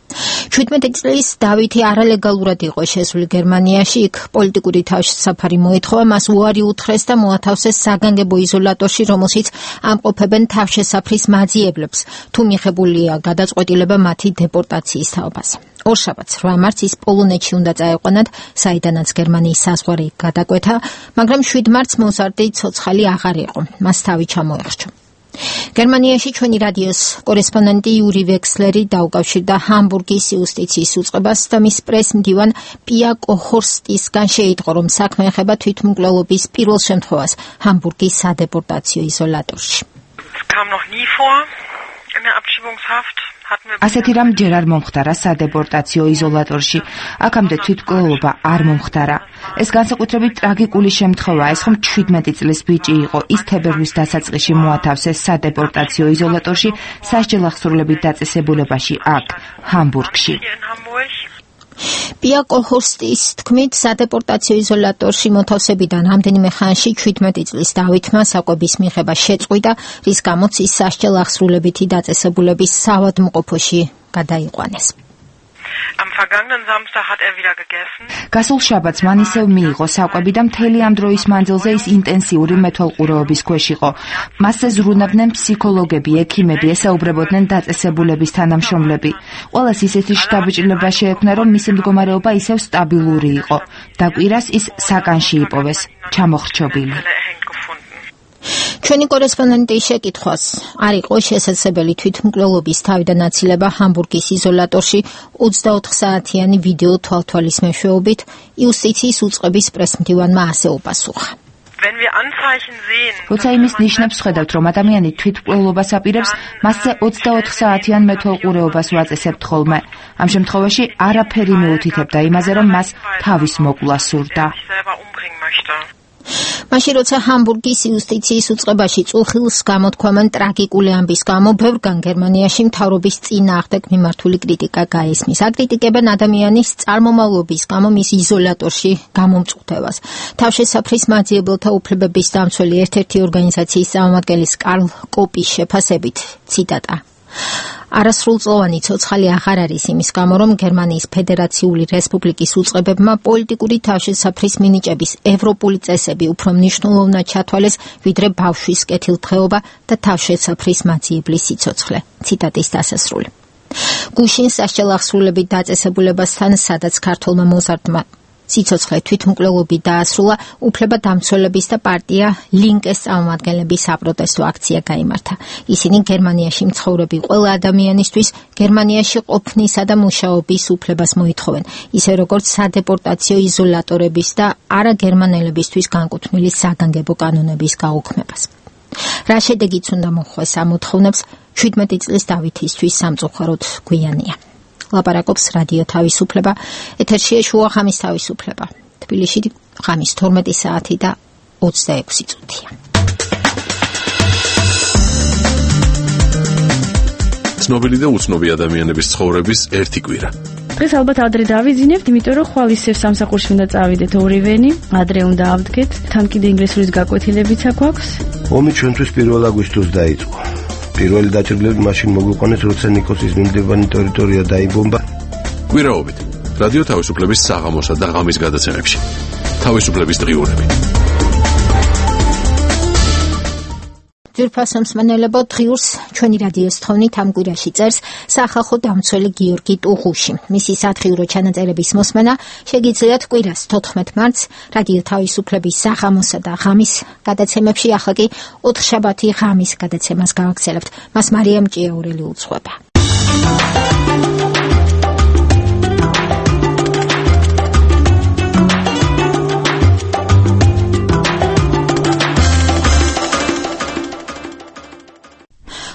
შვიდმეტი წლის დავითი არალეგალურად იყო შესული გერმანიაში, იქ პოლიტიკური თავშესაფარი მოეთხოვა, მას უარი უთხრეს და მოათავსეს საგანგებო იზოლატორში, რომელშიც ამყოფებენ თავშესაფრის მაძიებლებს, თუ მიღებულია გადაწყვეტილება მათი დეპორტაციის თაობას. ორშაბათს რვა მარტს ის პოლონეთში უნდა წაეყვანათ, საიდანაც გერმანიის საზღვარი გადაკვეთა, მაგრამ შვიდ მარტს მოზარდი ცოცხალი აღარ იყო, მას თავი ჩამოიხრჩო. გერმანიაში ჩვენი რადიოს კორესპონდენტი იური ვექსლერი დაუკავშირდა ჰამბურგის იუსტიციის უწყებას და მის პრეს-მდივან პია კოჰორსტისგან შეიტყო, რომ საქმე ეხება თვითმკვლელობის პირველ შემთხვევას ჰამბურგის სადეპორტაციო იზოლატორში. ასეთი რამ ჯერ არ მომხდარა სადეპორტაციო იზოლატორში, აქამდე თვითმკვლელობა არ მომხდარა. ეს განსაკუთრებით ტრაგიკული შემთხვევაა, ეს ხომ შვიდმეტი წლის ბიჭი იყო, ის თებერვლის დასაწყისში მოათავსეს სადეპორტაციო იზოლატორში სასჯელახსრულებით დაწესებულებაში აქ, ჰამბურგში. პია კოჰორსტის თქმით, სადეპორტაციო იზოლატორში მოთავსებიდან რამდენიმე ხანში შვიდმეტი წლის დავითმა საკვების მიღება შეწყვიტა, რის გამოც ის სასჯელახსრულებითი დაწესებულების საავადმყოფოში გადაიყვანეს. Am vergangenen Samstag hat er wieder gegessen. გასულ შაბათს მან ისევ მიიღო საკვები და მთელი ამ დროის მანძილზე ის ინტენსიური მეთვალყურეობის ქვეშ იყო. მასზე ზრუნავდნენ ფსიქოლოგები, ექიმები, ესაუბრებოდნენ დაწესებულების თანამშრომლები. ყველას ისეთი შთაბეჭდილება შეექმნა, რომ მისი მდგომარეობა ისევ სტაბილური იყო. და კვირას ის საკანში იპოვეს, ჩამოხრჩობილი. ჩვენი კორესპონდენტის შეკითხვას არ იყო შესაძლებელი თვითმკვლელობის თავიდან აცილება ჰამბურგის იზოლატორში ოცდაოთხ საათიანი ვიდეო თვალთვალის მეშვეობით, იუსტიციის უწყების პრესმდივანმა ასე უპასუხა. როცა იმის ნიშნებს ხედავთ, რომ ადამიანი თვითმკვლელობას აპირებს, მასზე ოცდაოთხ საათიან მეთვალყურეობას ვაწესებთ ხოლმე. ამ შემთხვევაში არაფერი მეუთითებდა იმაზე, რომ მას თავის მოკლა სურდა. მაშინ როცა ჰამბურგის იუსტიციის უწყებაში წუხილს გამოთქვამან ტრაგიკული ამბის გამო, ბევრგან გერმანიაში მთავრობის წინააღმდეგ მიმართული კრიტიკა გაესმის. აკრიტიკებენ ადამიანის წარმომავლობის გამო მის იზოლატორში გამომწყვეტებას. თავშესაფრის მაძიებელთა უფლებების დამცველი ერთ-ერთი ორგანიზაციის წარმომადგენლის კარლ კოპის შეფასებით, ციტატა: არასრულწლოვანი ცოცხალი აღარ არის იმის გამო, რომ გერმანიის ფედერაციული რესპუბლიკის უწყებებმა პოლიტიკური თავშესაფრის მინიჭების ევროპული წესები უფრო მნიშვნელოვნად ჩათვალეს, ვიდრე ბავშვის კეთილდღეობა და თავშესაფრის მაძიებლის სიცოცხლე. ციტატის დასასრული. გუშინ სასჯელ აღსრულებით დაწესებულებასთან, სადაც ქართველმა მოზარდმა სიცოცხლე თვითმკვლელობით დაასრულა, უფლება დამცველების და პარტია ლინკეს წარმომადგენლების საპროტესტო აქცია გაიმართა. ისინი გერმანიაში მცხოვრები ყველა ადამიანისთვის გერმანიაში ყოფნისა და მუშაობის უფლებას მოითხოვენ, ისე როგორც სადეპორტაციო იზოლატორების და არაგერმანელებისთვის განკუთვნილი საგანგებო კანონების გაუქმებას. რა შედეგიც უნდა მოხვეს ამ მოთხოვნებს, შვიდმეტი წლის დავითისთვის სამწუხაროდ გვიანია. ლაპარაკობს რადიო თავისუფლება, ეთერშია შუა ხამის თავისუფლება. თბილისში ხამის თორმეტი საათი და ოცდაექვსი წუთია. ცნობილი და უცნობი ადამიანების ცხოვრების ერთი კვირა. დღეს ალბათ ადრე დავიძინებთ, იმიტომ რომ ხვალ ისევ სამსახურში უნდა წავიდეთ ორივენი, ადრე უნდა ავდგეთ, თან კიდე ინგლისურის გაკვეთილებიც აქვს. ომი ჩვენთვის პირველ აგვისტოს დაიწყო. პირველი დაჭრილები მაშინ მოგვიყვანეს, როცა ნიკოსის მიმდებარე ტერიტორია დაიბომბა. კვირაობით რადიო თავისუფლების საღამოსა და ღამის გადაცემებში. თავისუფლების დღიურები. ძვირფასო მსმენელებო, დღიურს ჩვენი რადიოს თხოვნით ამ კვირაში წერს სახალხო დამცველი გიორგი ტუღუში. მისი სათხიურო ჩანაწერების მოსმენა შეგიძლიათ კვირას თოთხმეტ მარტს რადიო თავისუფლების საღამოსა და ღამის გადაცემებში. ახლა კი ოთხშაბათი ღამის გადაცემას გავაგრძელებთ. მას მარიამ ჭიაურელი უძღვება.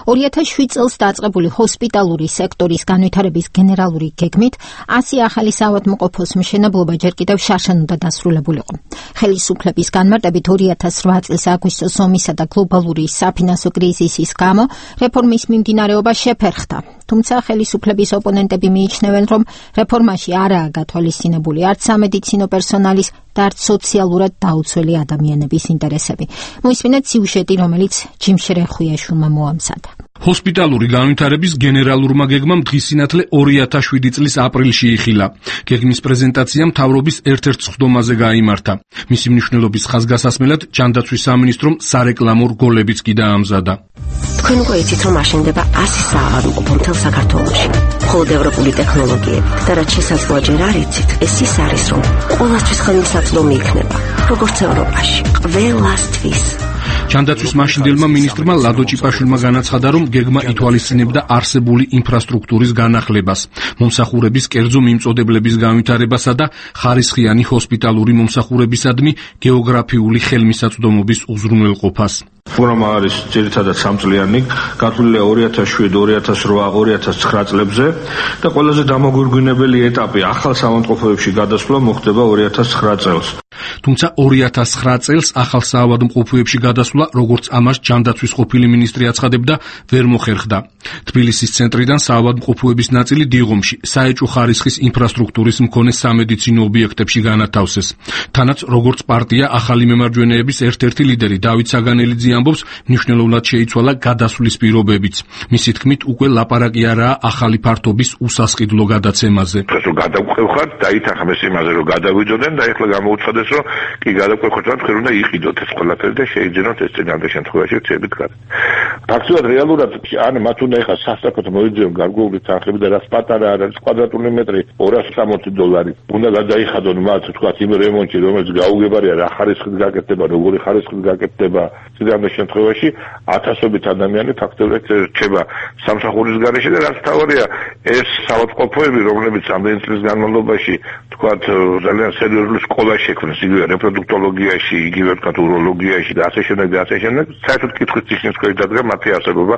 ორი ათას შვიდ წელს დაწყებული ჰოსპიტალური სექტორის განვითარების გენერალური გეგმით ასი ახალი საავადმყოფოს მშენებლობა ჯერ კიდევ შარშან უნდა დასრულებულიყო. ხელისუფლების განმარტებით ორი ათას რვა წლის აგვისტოს ომისა და გლობალური საფინანსო კრიზისის გამო რეფორმის მიმდინარეობა შეფერხდა. თუმცა ხელისუფლების ოპონენტები მიიჩნევენ, რომ რეფორმაში არაა გათვალისწინებული არც სამედიცინო პერსონალის და არც სოციალურად დაუცველი ადამიანების ინტერესები. მოისმინეთ სიუჟეტი, რომელიც ჯიმ შრეხუიაშვილმა მოამზადა. ჰოსპიტალური განვითარების გენერალურმა გეგმამ დღისინათლე ორი ათას შვიდი წლის აპრილში იხილა. გეგმის პრეზენტაცია მთავრობის ერთ-ერთ სხდომაზე გაიმართა. მისი მნიშვნელობის ხაზგასასმელად ჯანდაცვის სამინისტრომ სარეკლამო რგოლებიც კი დაამზადა. თქვენ უკვე იცით, რომ აშენდება ასი საავადმყოფო მთელ საქართველოში. მხოლოდ ევროპული ტექნოლოგიებით და რაც შესაძლოა ჯერ არ იცით, ეს ის არის, რომ ყოველთვის ხელმისაწვდომი იქნება, როგორც ევროპაში, ყველასთვის. ჯანდაცვის მაშინდელმა მინისტრმა ლადო ჭიპაშვილმა განაცხადა, რომ გეგმა ითვალისწინებდა არსებული ინფრასტრუქტურის განახლებას, მომსახურების კერძო მიმწოდებლების განვითარებასა და ხარისხიანი ჰოსპიტალური მომსახურებისადმი გეოგრაფიული ხელმისაწვდომობის უზრუნველყოფას. პროგრამა არის ძირითადად სამწლიანი, გათვლილია ორი ათას შვიდი ორი ათას რვა ორი ათას ცხრა წლებზე და ყველაზე დამოგვირგვინებელი ეტაპი ახალ საავადმყოფოებში გადასვლა მოხდება ორი ათას ცხრა წელს. თუმცა ორი ათას ცხრა წელს ახალ საავადმყოფოებში გადასვლა, როგორც ამას ჯანდაცვის ყოფილი მინისტრი აცხადებდა, ვერ მოხერხდა. თბილისის ცენტრიდან საავადმყოფოების ნაწილი დიღომში, საეჭვო ხარისხის ინფრასტრუქტურის მქონე სამედიცინო ობიექტებში განათავსეს. თანაც როგორც პარტია ახალი მემარჯვენეების ერთ-ერთი ლიდერი დავით საგანელიძე ამბობს, მნიშვნელოვნად შეიცვალა გადასვლის პირობებიც. მისი თქმით, უკვე ლაპარაკი არაა ახალი ფართობის უსასყიდლო გადაცემაზე. რომ გადავყვეხოთ, დაითანხმეს იმაზე, რომ გადავიძოდნენ და ეხლა გამოუცხადეს, რომ კი გადავყვეხოთ, რომ თქვენ უნდა იყიდოთ ეს ყველაფერი და შეიძენოთ ეს წინამდე შემთხვევაში ცებით გარეთ. ფაქტობრივად რეალურად ან მათ უნდა ეხლა სასწრაფოდ მოიძიონ გარკვეული თანხები და რაც პატარა არის კვადრატული მეტრი ორასი სამოცი დოლარი. უნდა გადაიხადონ მათ თქვა იმ რემონტში, რომელიც გაუგებარია რა ხარისხით გაკეთდება, როგორი ხარისხით გაკეთდება წინამდე შემთხვევაში ათასობით ადამიანი ფაქტობრივად რჩება სამსახურის გარეშე და რაც თავარია ეს საავადმყოფოები, რომლებიც ამდენი წლის განმავლობაში თქვათ ძალიან სერიოზული სკოლა შექმნეს იგივე რეპროდუქტოლოგიაში, იგივე თქვათ უროლოგიაში და ასე შემდეგ და ასე შემდეგ, საერთოდ კითხვის წიგნის ქვეშ დადგა მათი არსებობა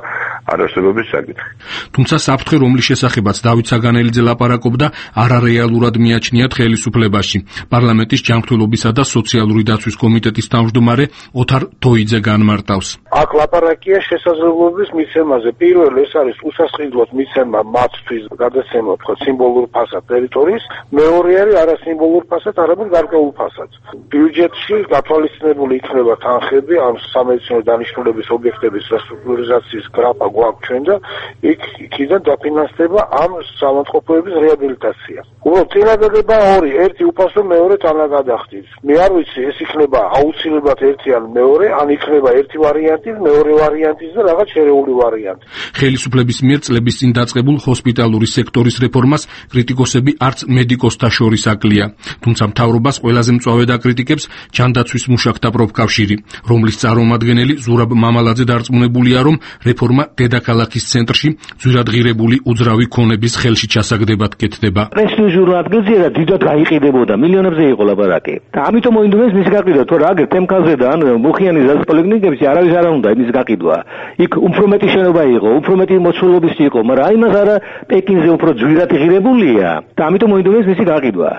არარსებობის საკითხი. თუმცა საფრთხე, რომლის შესახებაც დავით საგანელიძე ლაპარაკობდა, არარეალურად მიაჩნიათ ხელისუფლებაში. პარლამენტის ჯანმრთელობისა და სოციალური დაცვის კომიტეტის თავმჯდომარე ოთარ თოიძე განმარტავს. აქ ლაპარაკია შესაძლებლობის მიცემაზე. პირველი ეს არის უსასყიდლოდ მიცემა მათთვის გადაცემა თქვა სიმბოლურ ფასად ტერიტორიის, მეორე არის არასიმბოლურ ფასად, არამედ გარკვეულ ფასად. ბიუჯეტში გათვალისწინებული იქნება თანხები ამ სამედიცინო დანიშნულების ობიექტების რესტრუქტურიზაციის გრაფა გვაქვს ჩვენ და იქ იქიდან დაფინანსდება ამ საავადმყოფოების რეაბილიტაცია. უბრალოდ წინადადება ორი, ერთი უფასო, მეორე თანაგადახდით. მე არ ვიცი, ეს იქნება აუცილებლად ერთი ან მეორე, ან იქნება ერთი ვარიანტი, მეორე ვარიანტი და რაღაც შერეული ვარიანტი. ხელისუფლების მიერ წლების წინ დაწყებულ ჰოსპიტალური სექტორის რეფორმას კრიტიკოსები არც მედიკოსთა შორის აკლია. თუმცა მთავრობას ყველაზე მწვავე დაკრიტიკებს ჯანდაცვის მუშაკთა პროფკავშირი, რომლის წარმომადგენელი ზურაბ მამალაძე დარწმუნებულია, რომ რეფორმა დედაქალაქის ცენტრში ძვირადღირებული უძრავი ქონების ხელში ჩასაგდებად კეთდება. პრესტიჟურ ადგილზე და დიდად გაიყიდებოდა, მილიონებზე იყო ლაპარაკი. და ამიტომ მოინდომეს მის გაყიდვა, თუ რა აგერ თემკაზე და ან მუხიანის პოლიკლინიკებში არავის არ უნდა იმის გაყიდვა. იქ უფრო მეტი შენობა იყო, უფრო მეტი მოცულობის იყო, მაგრამ იმას არა პეკინზე უფრო ძვირად ღირებულია და ამიტომ მოინდომეს მისი გაყიდვა.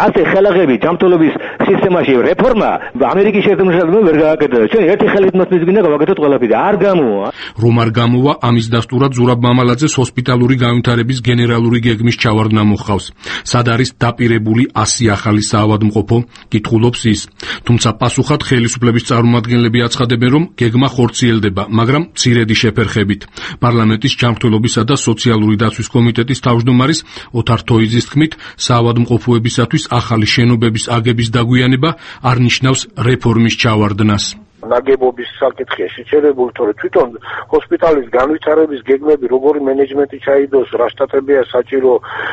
ასე ხელაღები ჯანმრთელობის სისტემაში რეფორმა ამერიკის შეერთებული შტატებმა ვერ გააკეთა. ჩვენ ერთი ხელით მას მისგინა გავაკეთოთ ყველაფერი. არ გამოვა. რომ არ გამოვა, ამის დასტურად ზურაბ მამალაძეს ჰოსპიტალური განვითარების გენერალური გეგმის ჩავარდნა მოჰყავს. სად არის დაპირებული ასი ახალი საავადმყოფო? კითხულობს ის. თუმცა პასუხად ხელისუფლების წარმომადგენლები აცხადებენ, რომ გეგმა ხორციელდება, მაგრამ მცირედი შეფერხებით. პარლამენტის ჯანმრთელობისა და სოციალური დაცვის კომიტეტის თავმჯდომარის ოთარ თოიძის თქმით, საავადმყოფოებისათვის ახალი შენობების აგების დაგვიანება არ ნიშნავს რეფორმის ჩავარდნას. ნაგებობის საკითხია შეჩერებული, თორე თვითონ ჰოსპიტალის განვითარების გეგმები, როგორი მენეჯმენტი ჩაიდოს, რა შტატებია საჭირო,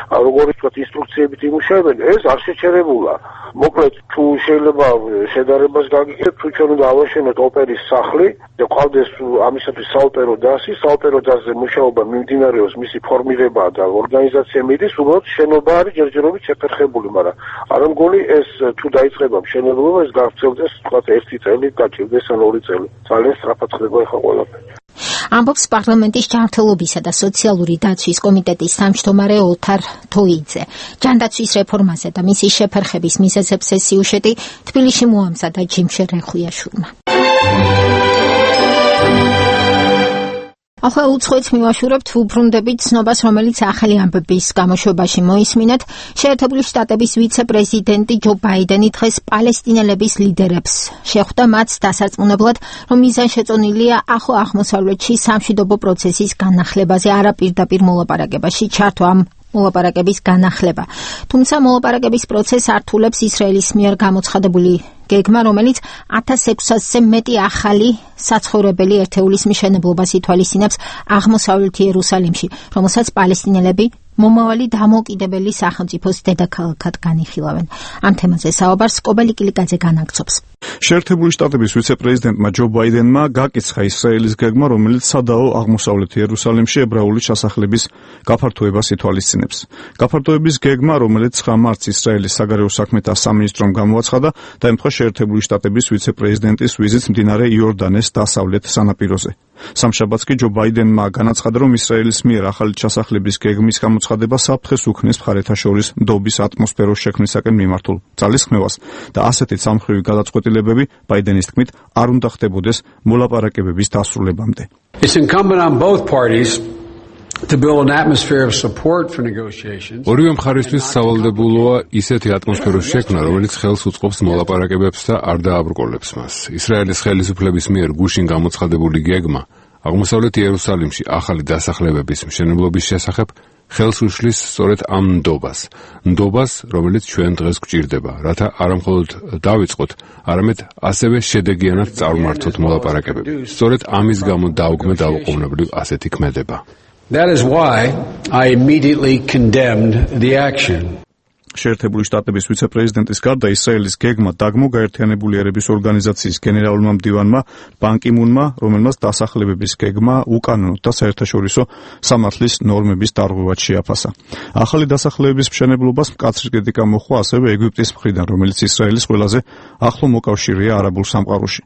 როგორი თქვათ ინსტრუქციებით იმუშავებენ, ეს არ შეჩერებულა. მოკლედ, თუ შეიძლება შედარებას გაგიგებთ, თუ ჩვენ უნდა ავაშენოთ ოპერის სახლი და ყავდეს ამისათვის საოპერო დასი, საოპერო დასზე მუშაობა მიმდინარეობს, მისი ფორმირება და ორგანიზაცია მიდის, უბრალოდ შენობა არის ჯერჯერობით შეფერხებული, მაგრამ არ მგონი ეს თუ დაიწყება მშენებლობა, ეს გავრცელდეს თქვათ ერთი წელი გაჭირდეს ან ორი წელი. ძალიან სწრაფად ხდება ახლა ყველაფერი. ამბობს პარლამენტის ჯანმრთელობისა და სოციალური დაცვის კომიტეტის თავმჯდომარე ოთარ თოიძე. ჯანდაცვის რეფორმაზე და მისი შეფერხების მიზეზებს ეს სიუჟეტი თბილისში მოამზადა ჯიმშერ რეხუიაშვილმა. ახლა უცხოეთს მივაშურებთ, უბრუნდებით ცნობას, რომელიც ახალი ამბების გამოშვებაში მოისმინეთ. შეერთებული შტატების ვიცე-პრეზიდენტი ჯო ბაიდენი დღეს პალესტინელების ლიდერებს შეხვდა მათ დასარწმუნებლად, რომ მიზანშეწონილია ახლო აღმოსავლეთში სამშვიდობო პროცესის განახლებაზე, არა პირდაპირ მოლაპარაკებაში ჩართვა ამ მოლაპარაკების განახლება. თუმცა მოლაპარაკების პროცესს ართულებს ისრაელის მიერ გამოცხადებული გეგმა, რომელიც ათას ექვსასზე მეტი ახალი საცხოვრებელი ერთეულის მშენებლობას ითვალისწინებს აღმოსავლეთ იერუსალიმში, რომელსაც პალესტინელები მომავალი დამოუკიდებელი სახელმწიფოს დედაქალაქად განიხილავენ. ამ თემაზე საუბარს კობელი კილიკაძე განაგრძობს. შეერთებული შტატების ვიცე-პრეზიდენტმა ჯო ბაიდენმა გაკიცხა ისრაელის გეგმა, რომელიც სადაო აღმოსავლეთ იერუსალიმში ებრაული ჩასახლების გაფართოებას ითვალისწინებს. გაფართოების გეგმა, რომელიც ცხრა მარტს ისრაელის საგარეო საქმეთა სამინისტრომ გამოაცხადა, დაემთხვა შეერთებული შტატების ვიცე-პრეზიდენტის ვიზიტს მდინარე იორდანეს დასავლეთ სანაპიროზე. სამშაბათს კი ჯო ბაიდენმა განაცხადა, რომ ისრაელის მიერ ახალი ჩასახლების გეგმის გამოცხადება საფრთხეს უქმნის მხარეთა შორის ნდობის ატმოსფეროს შექმნისაკენ მიმართულ ძალისხმევას და ასეთი სამხრივი გადაწყვეტილებები ბაიდენის თქმით არ უნდა ხდებოდეს მოლაპარაკებების დასრულებამდე. It's incumbent on both parties to build an atmosphere of support for negotiations. ორივე მხარისთვის სავალდებულოა ისეთი ატმოსფეროს შექმნა, რომელიც ხელს უწყობს მოლაპარაკებებს და არ დააბრკოლებს მას. ისრაელის ხელისუფლების მიერ გუშინ გამოცხადებული გეგმა აღმოსავლეთ იერუსალიმში ახალი დასახლებების მშენებლობის შესახებ ხელს უშლის სწორედ ამ ნდობას. ნდობას, რომელიც ჩვენ დღეს გვჭირდება, რათა არამხოლოდ დავიწყოთ, არამედ ასევე შედეგიანად წარმართოთ მოლაპარაკებები. სწორედ ამის გამო დაუგმე დაუყოვნებლივ ასეთი ქმედება. That is why I immediately condemned the action. შეერთებული შტატების ვიცე-პრეზიდენტის გარდა ისრაელის გეგმა დაგმო გაერთიანებული ერების ორგანიზაციის გენერალურმა მდივანმა ბან კი მუნმა, რომელმაც დასახლებების გეგმა უკანონო და საერთაშორისო სამართლის ნორმების დარღვევად შეაფასა. ახალი დასახლებების მშენებლობას მკაცრი კრიტიკა მოჰყვა ასევე ეგვიპტის მხრიდან, რომელიც ისრაელის ყველაზე ახლო მოკავშირეა არაბულ სამყაროში.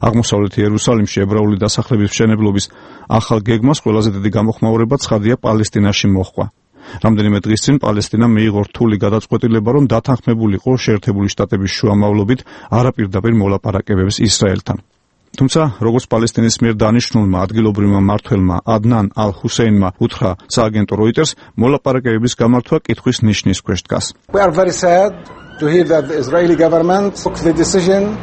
აღმოსავლეთ იერუსალიმში ებრაული დასახლების მშენებლობის ახალ გეგმას ყველაზე დიდი გამოხმაურება ცხადია პალესტინაში მოჰყვა. რამდენიმე დღის წინ პალესტინა მიიღო რთული გადაწყვეტილება, რომ დათანხმებულიყო შეერთებული შტატების შუამავლობით არაპირდაპირ მოლაპარაკებებს ისრაელთან. თუმცა, როგორც პალესტინის მიერ დანიშნულმა ადგილობრივმა მმართველმა ადნან ალ-ჰუსეინმა უთხრა სააგენტო როიტერს, მოლაპარაკებების გამართვა კითხვის ნიშნის ქვეშ დგას. We are very sad to hear that the Israeli government took the decision.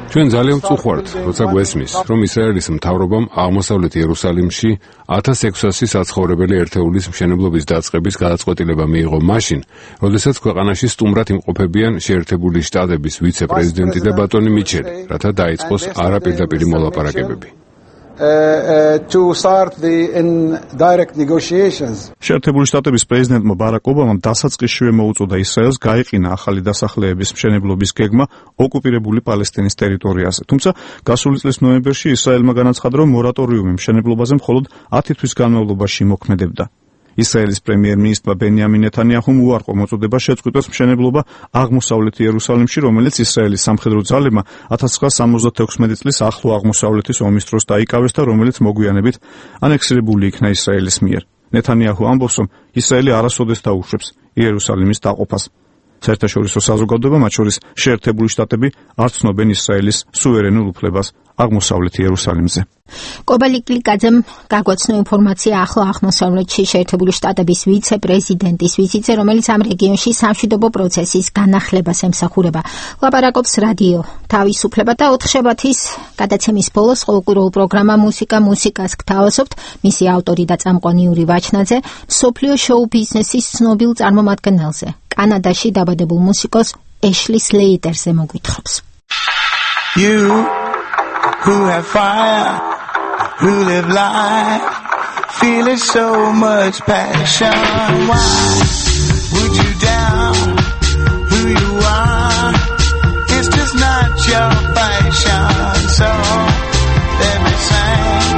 ჩვენ ძალიან ვწუხართ, როცა გვესმის, რომ ისრაელის მთავრობამ აღმოსავლეთ იერუსალიმში ათას ექვსასი საცხოვრებელი ერთეულის მშენებლობის დაწყების გადაწყვეტილება მიიღო მაშინ, როდესაც ქვეყანაში სტუმრად იმყოფებიან შეერთებული შტატების ვიცე-პრეზიდენტი და ბატონი მიჩელი, რათა დაიწყოს არაპირდაპირი მოლაპარაკებები. Uh, uh, to start the indirect negotiations. შეერთებული შტატების პრეზიდენტმა ბარაკ ობამამ დასაწყისშივე მოუწოდა ისრაელს გაეყინა ახალი დასახლების მშენებლობის გეგმა ოკუპირებული პალესტინის ტერიტორიაზე. თუმცა გასული წლის ნოემბერში ისრაელმა განაცხადა, რომ მორატორიუმი მშენებლობაზე მხოლოდ ათი თვის განმავლობაში მოქმედებდა. ისრაელის პრემიერ-მინისტრმა ბენიამინ ნეთანიაჰუმ უარყო მოწოდება შეწყვიტოს მშენებლობა აღმოსავლეთ იერუსალიმში, რომელიც ისრაელის სამხედრო ძალებმა ათას ცხრაასა სამოცდათექვსმეტი წლის ახლო აღმოსავლეთის ომის დროს დაიკავეს და რომელიც მოგვიანებით ანექსირებული იქნა ისრაელის მიერ. ნეთანიაჰუ ამბობს, რომ ისრაელი არასოდეს დაუშვებს იერუსალიმის დაყოფას. საერთაშორისო საზოგადოება, მათ შორის შეერთებული შტატები, არ ცნობენ ისრაელის სუვერენულ უფლებას აღმოსავლეთ იერუსალიმზე. კობალი კლიკაძემ გაგვაცნო ინფორმაცია ახლო აღმოსავლეთში შეერთებული შტატების ვიცე-პრეზიდენტის ვიზიტზე, რომელიც ამ რეგიონში სამშვიდობო პროცესის განახლებას ემსახურება. ლაპარაკობს რადიო თავისუფლება და ოთხშაბათის გადაცემის ბოლოს ყოველკვირეულ პროგრამა მუსიკა მუსიკას გთავაზობთ. მისი ავტორი და წამყვანი იური ვაჩნაძე მსოფლიო შოუ ბიზნესის ცნობილ წარმომადგენელზე, კანადაში დაბადებულ მუსიკოს ეშლი სლეიტერზე მოგვითხრობს. You who have fire, who live life, feeling so much passion. Why would you doubt who you are? It's just not your fashion. So let me sing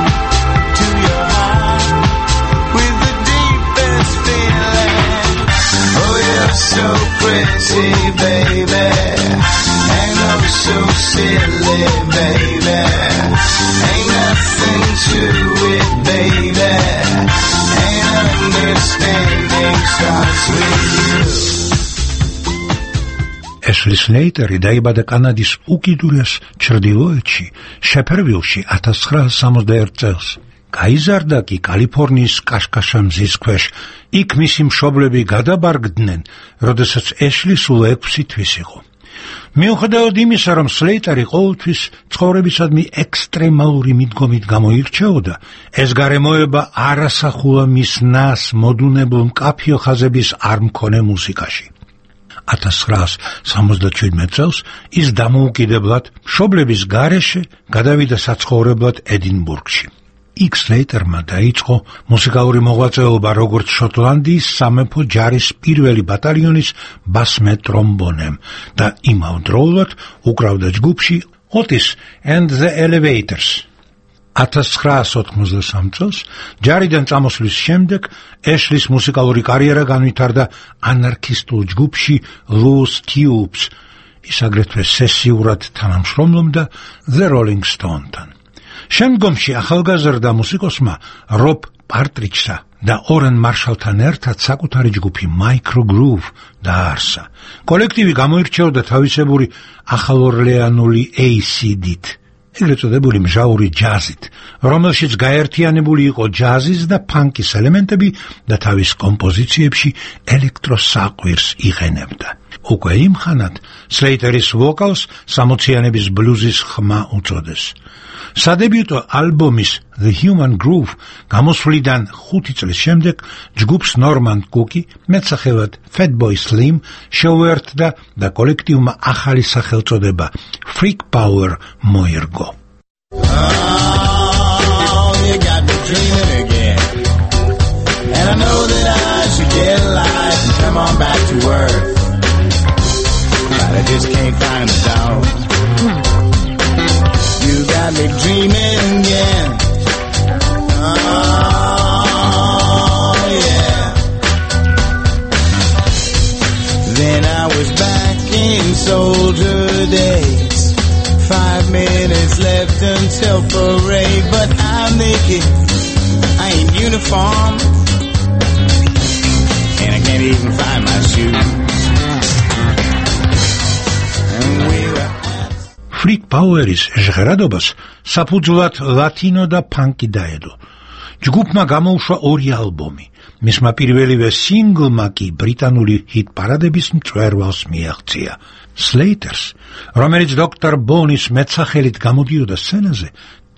to your heart with the deepest feeling. Oh, you're so pretty, baby. And oh, so silly, baby. Ain't nothing to it, baby. Ain't understanding starts with you. ეშლი სლეიტერი დაიბადა კანადის უკიდურეს ჩრდილოეთში, შეფერვილში ათას ცხრაასა სამოცდაერთი წელს. გაიზარდა კი კალიფორნიის კაშკაშა მზის ქვეშ. იქ მისი მშობლები გადაბარგდნენ, როდესაც ეშლი სულ ექვსი თვის იყო. მიუხედავად იმისა, რომ სლეიტერი ყოველთვის ცხოვრებისადმი ექსტრემალური მიდგომით გამოირჩეოდა, ეს გარემოება არ ასახულა მის ნას მოდუნებულ მკაფიო ხაზების არ მქონე მუსიკაში. ათას ცხრაასა სამოცდაჩვიდმეტ წელს ის დამოუკიდებლად მშობლების გარეშე გადავიდა საცხოვრებლად ედინბურგში. იქ სლეიტერმა დაიწყო მუსიკალური მოღვაწეობა როგორც შოტლანდიის სამეფო ჯარის პირველი ბატალიონის ბასმე ტრომბონემ და იმავდროულად უკრავდა ჯგუფში Otis and the Elevators. ათას ცხრაასი ოთხმოცდასამ წელს ჯარიდან წამოსვლის შემდეგ ეშლის მუსიკალური კარიერა განვითარდა ანარქისტულ ჯგუფში Loose Tubes. ის აგრეთვე სესიურად თანამშრომლობდა The Rolling Stone-თან. შემდგომში ახალგაზრდა მუსიკოსმა რობ პარტრიჯსა და ორენ მარშალთან ერთად საკუთარი ჯგუფი Micro Groove დააარსა. კოლექტივი გამოირჩეოდა თავისებური ახალორლეანული έი სი დი-ით, ეგრეთ წოდებული მჟავური ჯაზით, რომელშიც გაერთიანებული იყო ჯაზის და ფანკის ელემენტები და თავის კომპოზიციებში ელექტროსაყვირს იყენებდა. უკვე იმ ხანად სლეიტერის ვოკალს სამოციანების ბლუზის ხმა უწოდეს. სადებიუტო ალბომის The Human Groove გამოსვლიდან ხუთი წლის შემდეგ ჯგუფს ნორმან კუკი, მეტსახელად Fatboy Slim, შეუერთდა და კოლექტივმა ახალი სახელწოდება Freak Power მოერგო. Oh, you got me dreaming again. And I know that I should get a life and come on back to earth. But I just can't find the dog. You got me dreaming again. Oh, yeah. Then I was back in soldier days. Five minutes left until parade, but I'm naked. I ain't uniform. And I can't even find my shoes. And we were Freak Power-ის ჟღერადობას საფუძვლად ლათინო და ფანკი დაედო. ჯგუფმა გამოუშვა ორი ალბომი. მისმა პირველივე სინგლმა კი ბრიტანული ჰიტ-პარადების მწვერვალს მიაღწია. Slaters, რომელიც დოქტორ ბონის მეტსახელით გამოდიოდა სცენაზე,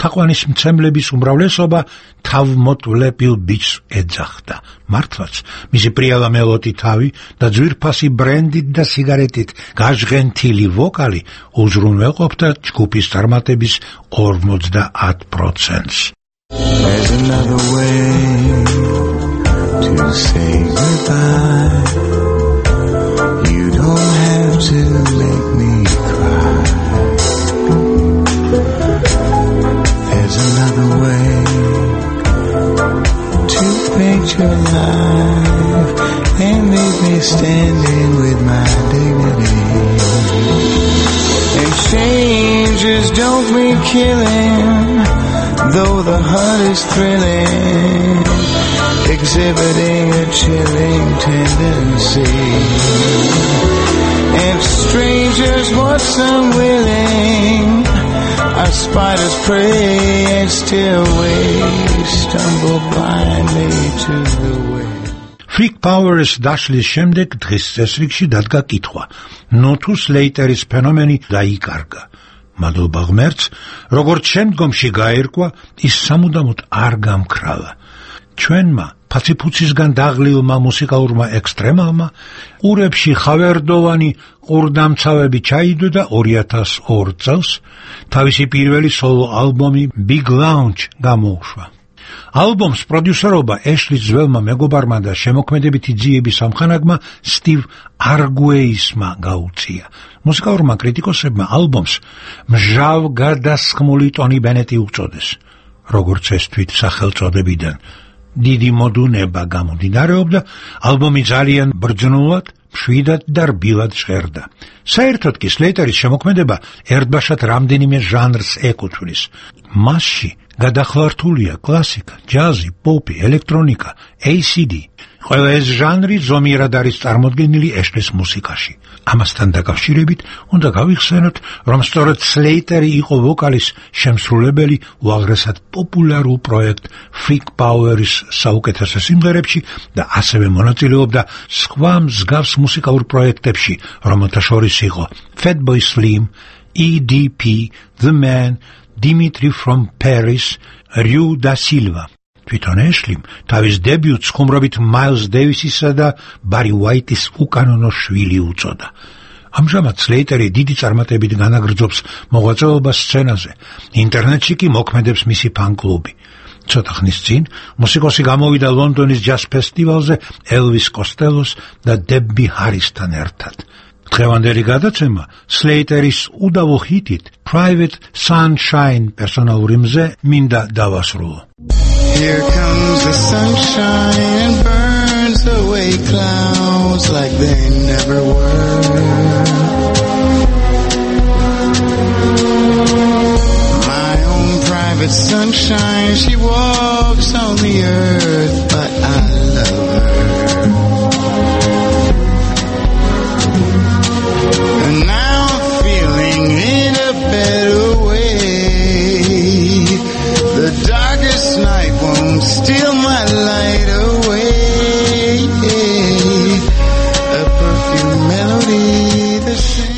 თაყვანის მცემლების უმრავლესობა თავმოტვლებილ ბიჭს ეძახდა. მართლაც, მისი პრიალა მელოდი თავი და ძვირფასი ბრენდით და სიგარეტით გაჟღენთილი ვოკალი უზრუნველყოფდა ჯგუფის წარმატების ორმოცდაათ პროცენტს. There's another way to say goodbye. You don't have to make me cry. There's another way to paint your life and leave me standing with my dignity. And changes don't mean killing, though the heart is thrilling, exhibiting a chilling tendency. And strangers once unwilling are spiders prey and still we stumble blindly to the way. Freak Power-ის დაშლის შემდეგ დღის წესრიგში დადგა კითხვა, ნუ თუ სლეიტერის ფენომენი დაიკარგა. მადლობა ღმერთს, როგორც შემდგომში გაერკვა, ის სამუდამოდ არ გამქრალა. ჩვენმა ფაციფუცისგან დაღლილმა მუსიკალურმა ექსტრემალმა ყურებში ხავერდოვანი ყურდამცავები ჩაიდო და ორი ათას ორ წელს თავისი პირველი სოლო ალბომი Big Lounge გამოუშვა. ალბომს პროდიუსერობა ეშლის ძველმა მეგობარმა და შემოქმედებითი ძიების ამხანაგმა სტივ არგუეისმა გაუწია. მუსიკალურმა კრიტიკოსებმა ალბომს მჟავ გადასხმული ტონი ბენეტი უწოდეს. როგორც ეს თვით სახელწოდებიდან დიდი მოდუნება გამომდინარეობდა, ალბომი ძალიან ბრძნულად, მშვიდად და რბილად ჟღერდა. საერთოდ კი სლეიტერის შემოქმედება ერთბაშად რამდენიმე ჟანრს ეკუთვნის. მასში გადახლართულია კლასიკა, ჯაზი, პოპი, ელექტრონიკა, έი სი დი. ყველა ეს ჟანრი ზომიერად არის წარმოდგენილი ეშლის მუსიკაში. ამასთან დაკავშირებით უნდა გავიხსენოთ, რომ სწორედ სლეიტერი იყო ვოკალის შემსრულებელი უაღრესად პოპულარულ პროექტ Freak Power-ის საუკეთესო სიმღერებში და ასევე მონაწილეობდა სხვა მსგავს მუსიკალურ პროექტებში, რომელთა შორის იყო Fatboy Slim, ი დი პი, The Man, Dimitri from Paris, Ryu da Silva. თვითონ ეშლიმ თავის დებიუტს ხუმრობით მაილს დეივისისა და ბარი უაიტის უკანონო შვილი უწოდა. ამჟამად სლეიტერი დიდი წარმატებით განაგრძობს მოღვაწეობას სცენაზე. ინტერნეტში კი მოქმედებს მისი ფან-კლუბი. ცოტა ხნის წინ მუსიკოსი გამოვიდა ლონდონის ჯაზ ფესტივალზე ელვის კოსტელოს და დები ჰარისთან ერთად. დღევანდელი გადაცემა სლეიტერის უდავო ჰიტით Private Sunshine პერსონალური მზე მინდა დავასრულო. Here comes the sunshine and burns away clouds like they never were. My own private sunshine, she walks on the earth, but I love her. And now I'm feeling in a better way. The darkest night won't steal my light away. A perfume melody.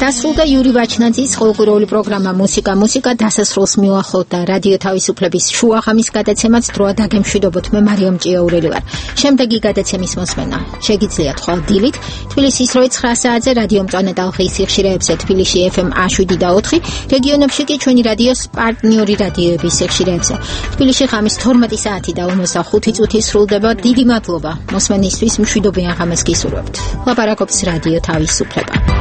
დასრულდა იური ვაჩნაძის ყოველკვირეული პროგრამა მუსიკა მუსიკა დასასრულს მიუახლოვდა რადიო თავისუფლების შუაღამის გადაცემაც დროა დაგემშვიდობოთ მე მარიამ ჭიაურელი ვარ. შემდეგი გადაცემის მოსმენა შეგიძლიათ ხვალ დილით თბილისის როი ცხრა საათზე რადიო მწვანე ტალღის სიხშირეებზე თბილისში ეფ ემ შვიდ და ოთხი რეგიონებში კი ჩვენი რადიოს პარტნიორი რადიოების სიხშირეებზე თბილისში ღამის თორმეტი საათი და ორმოცდახუთი წუთი სრულდება. დიდი მადლობა მოსმენისთვის, მშვიდობიან ღამეს გისურვებთ. ლაპარაკობს რადიო თავისუფლება.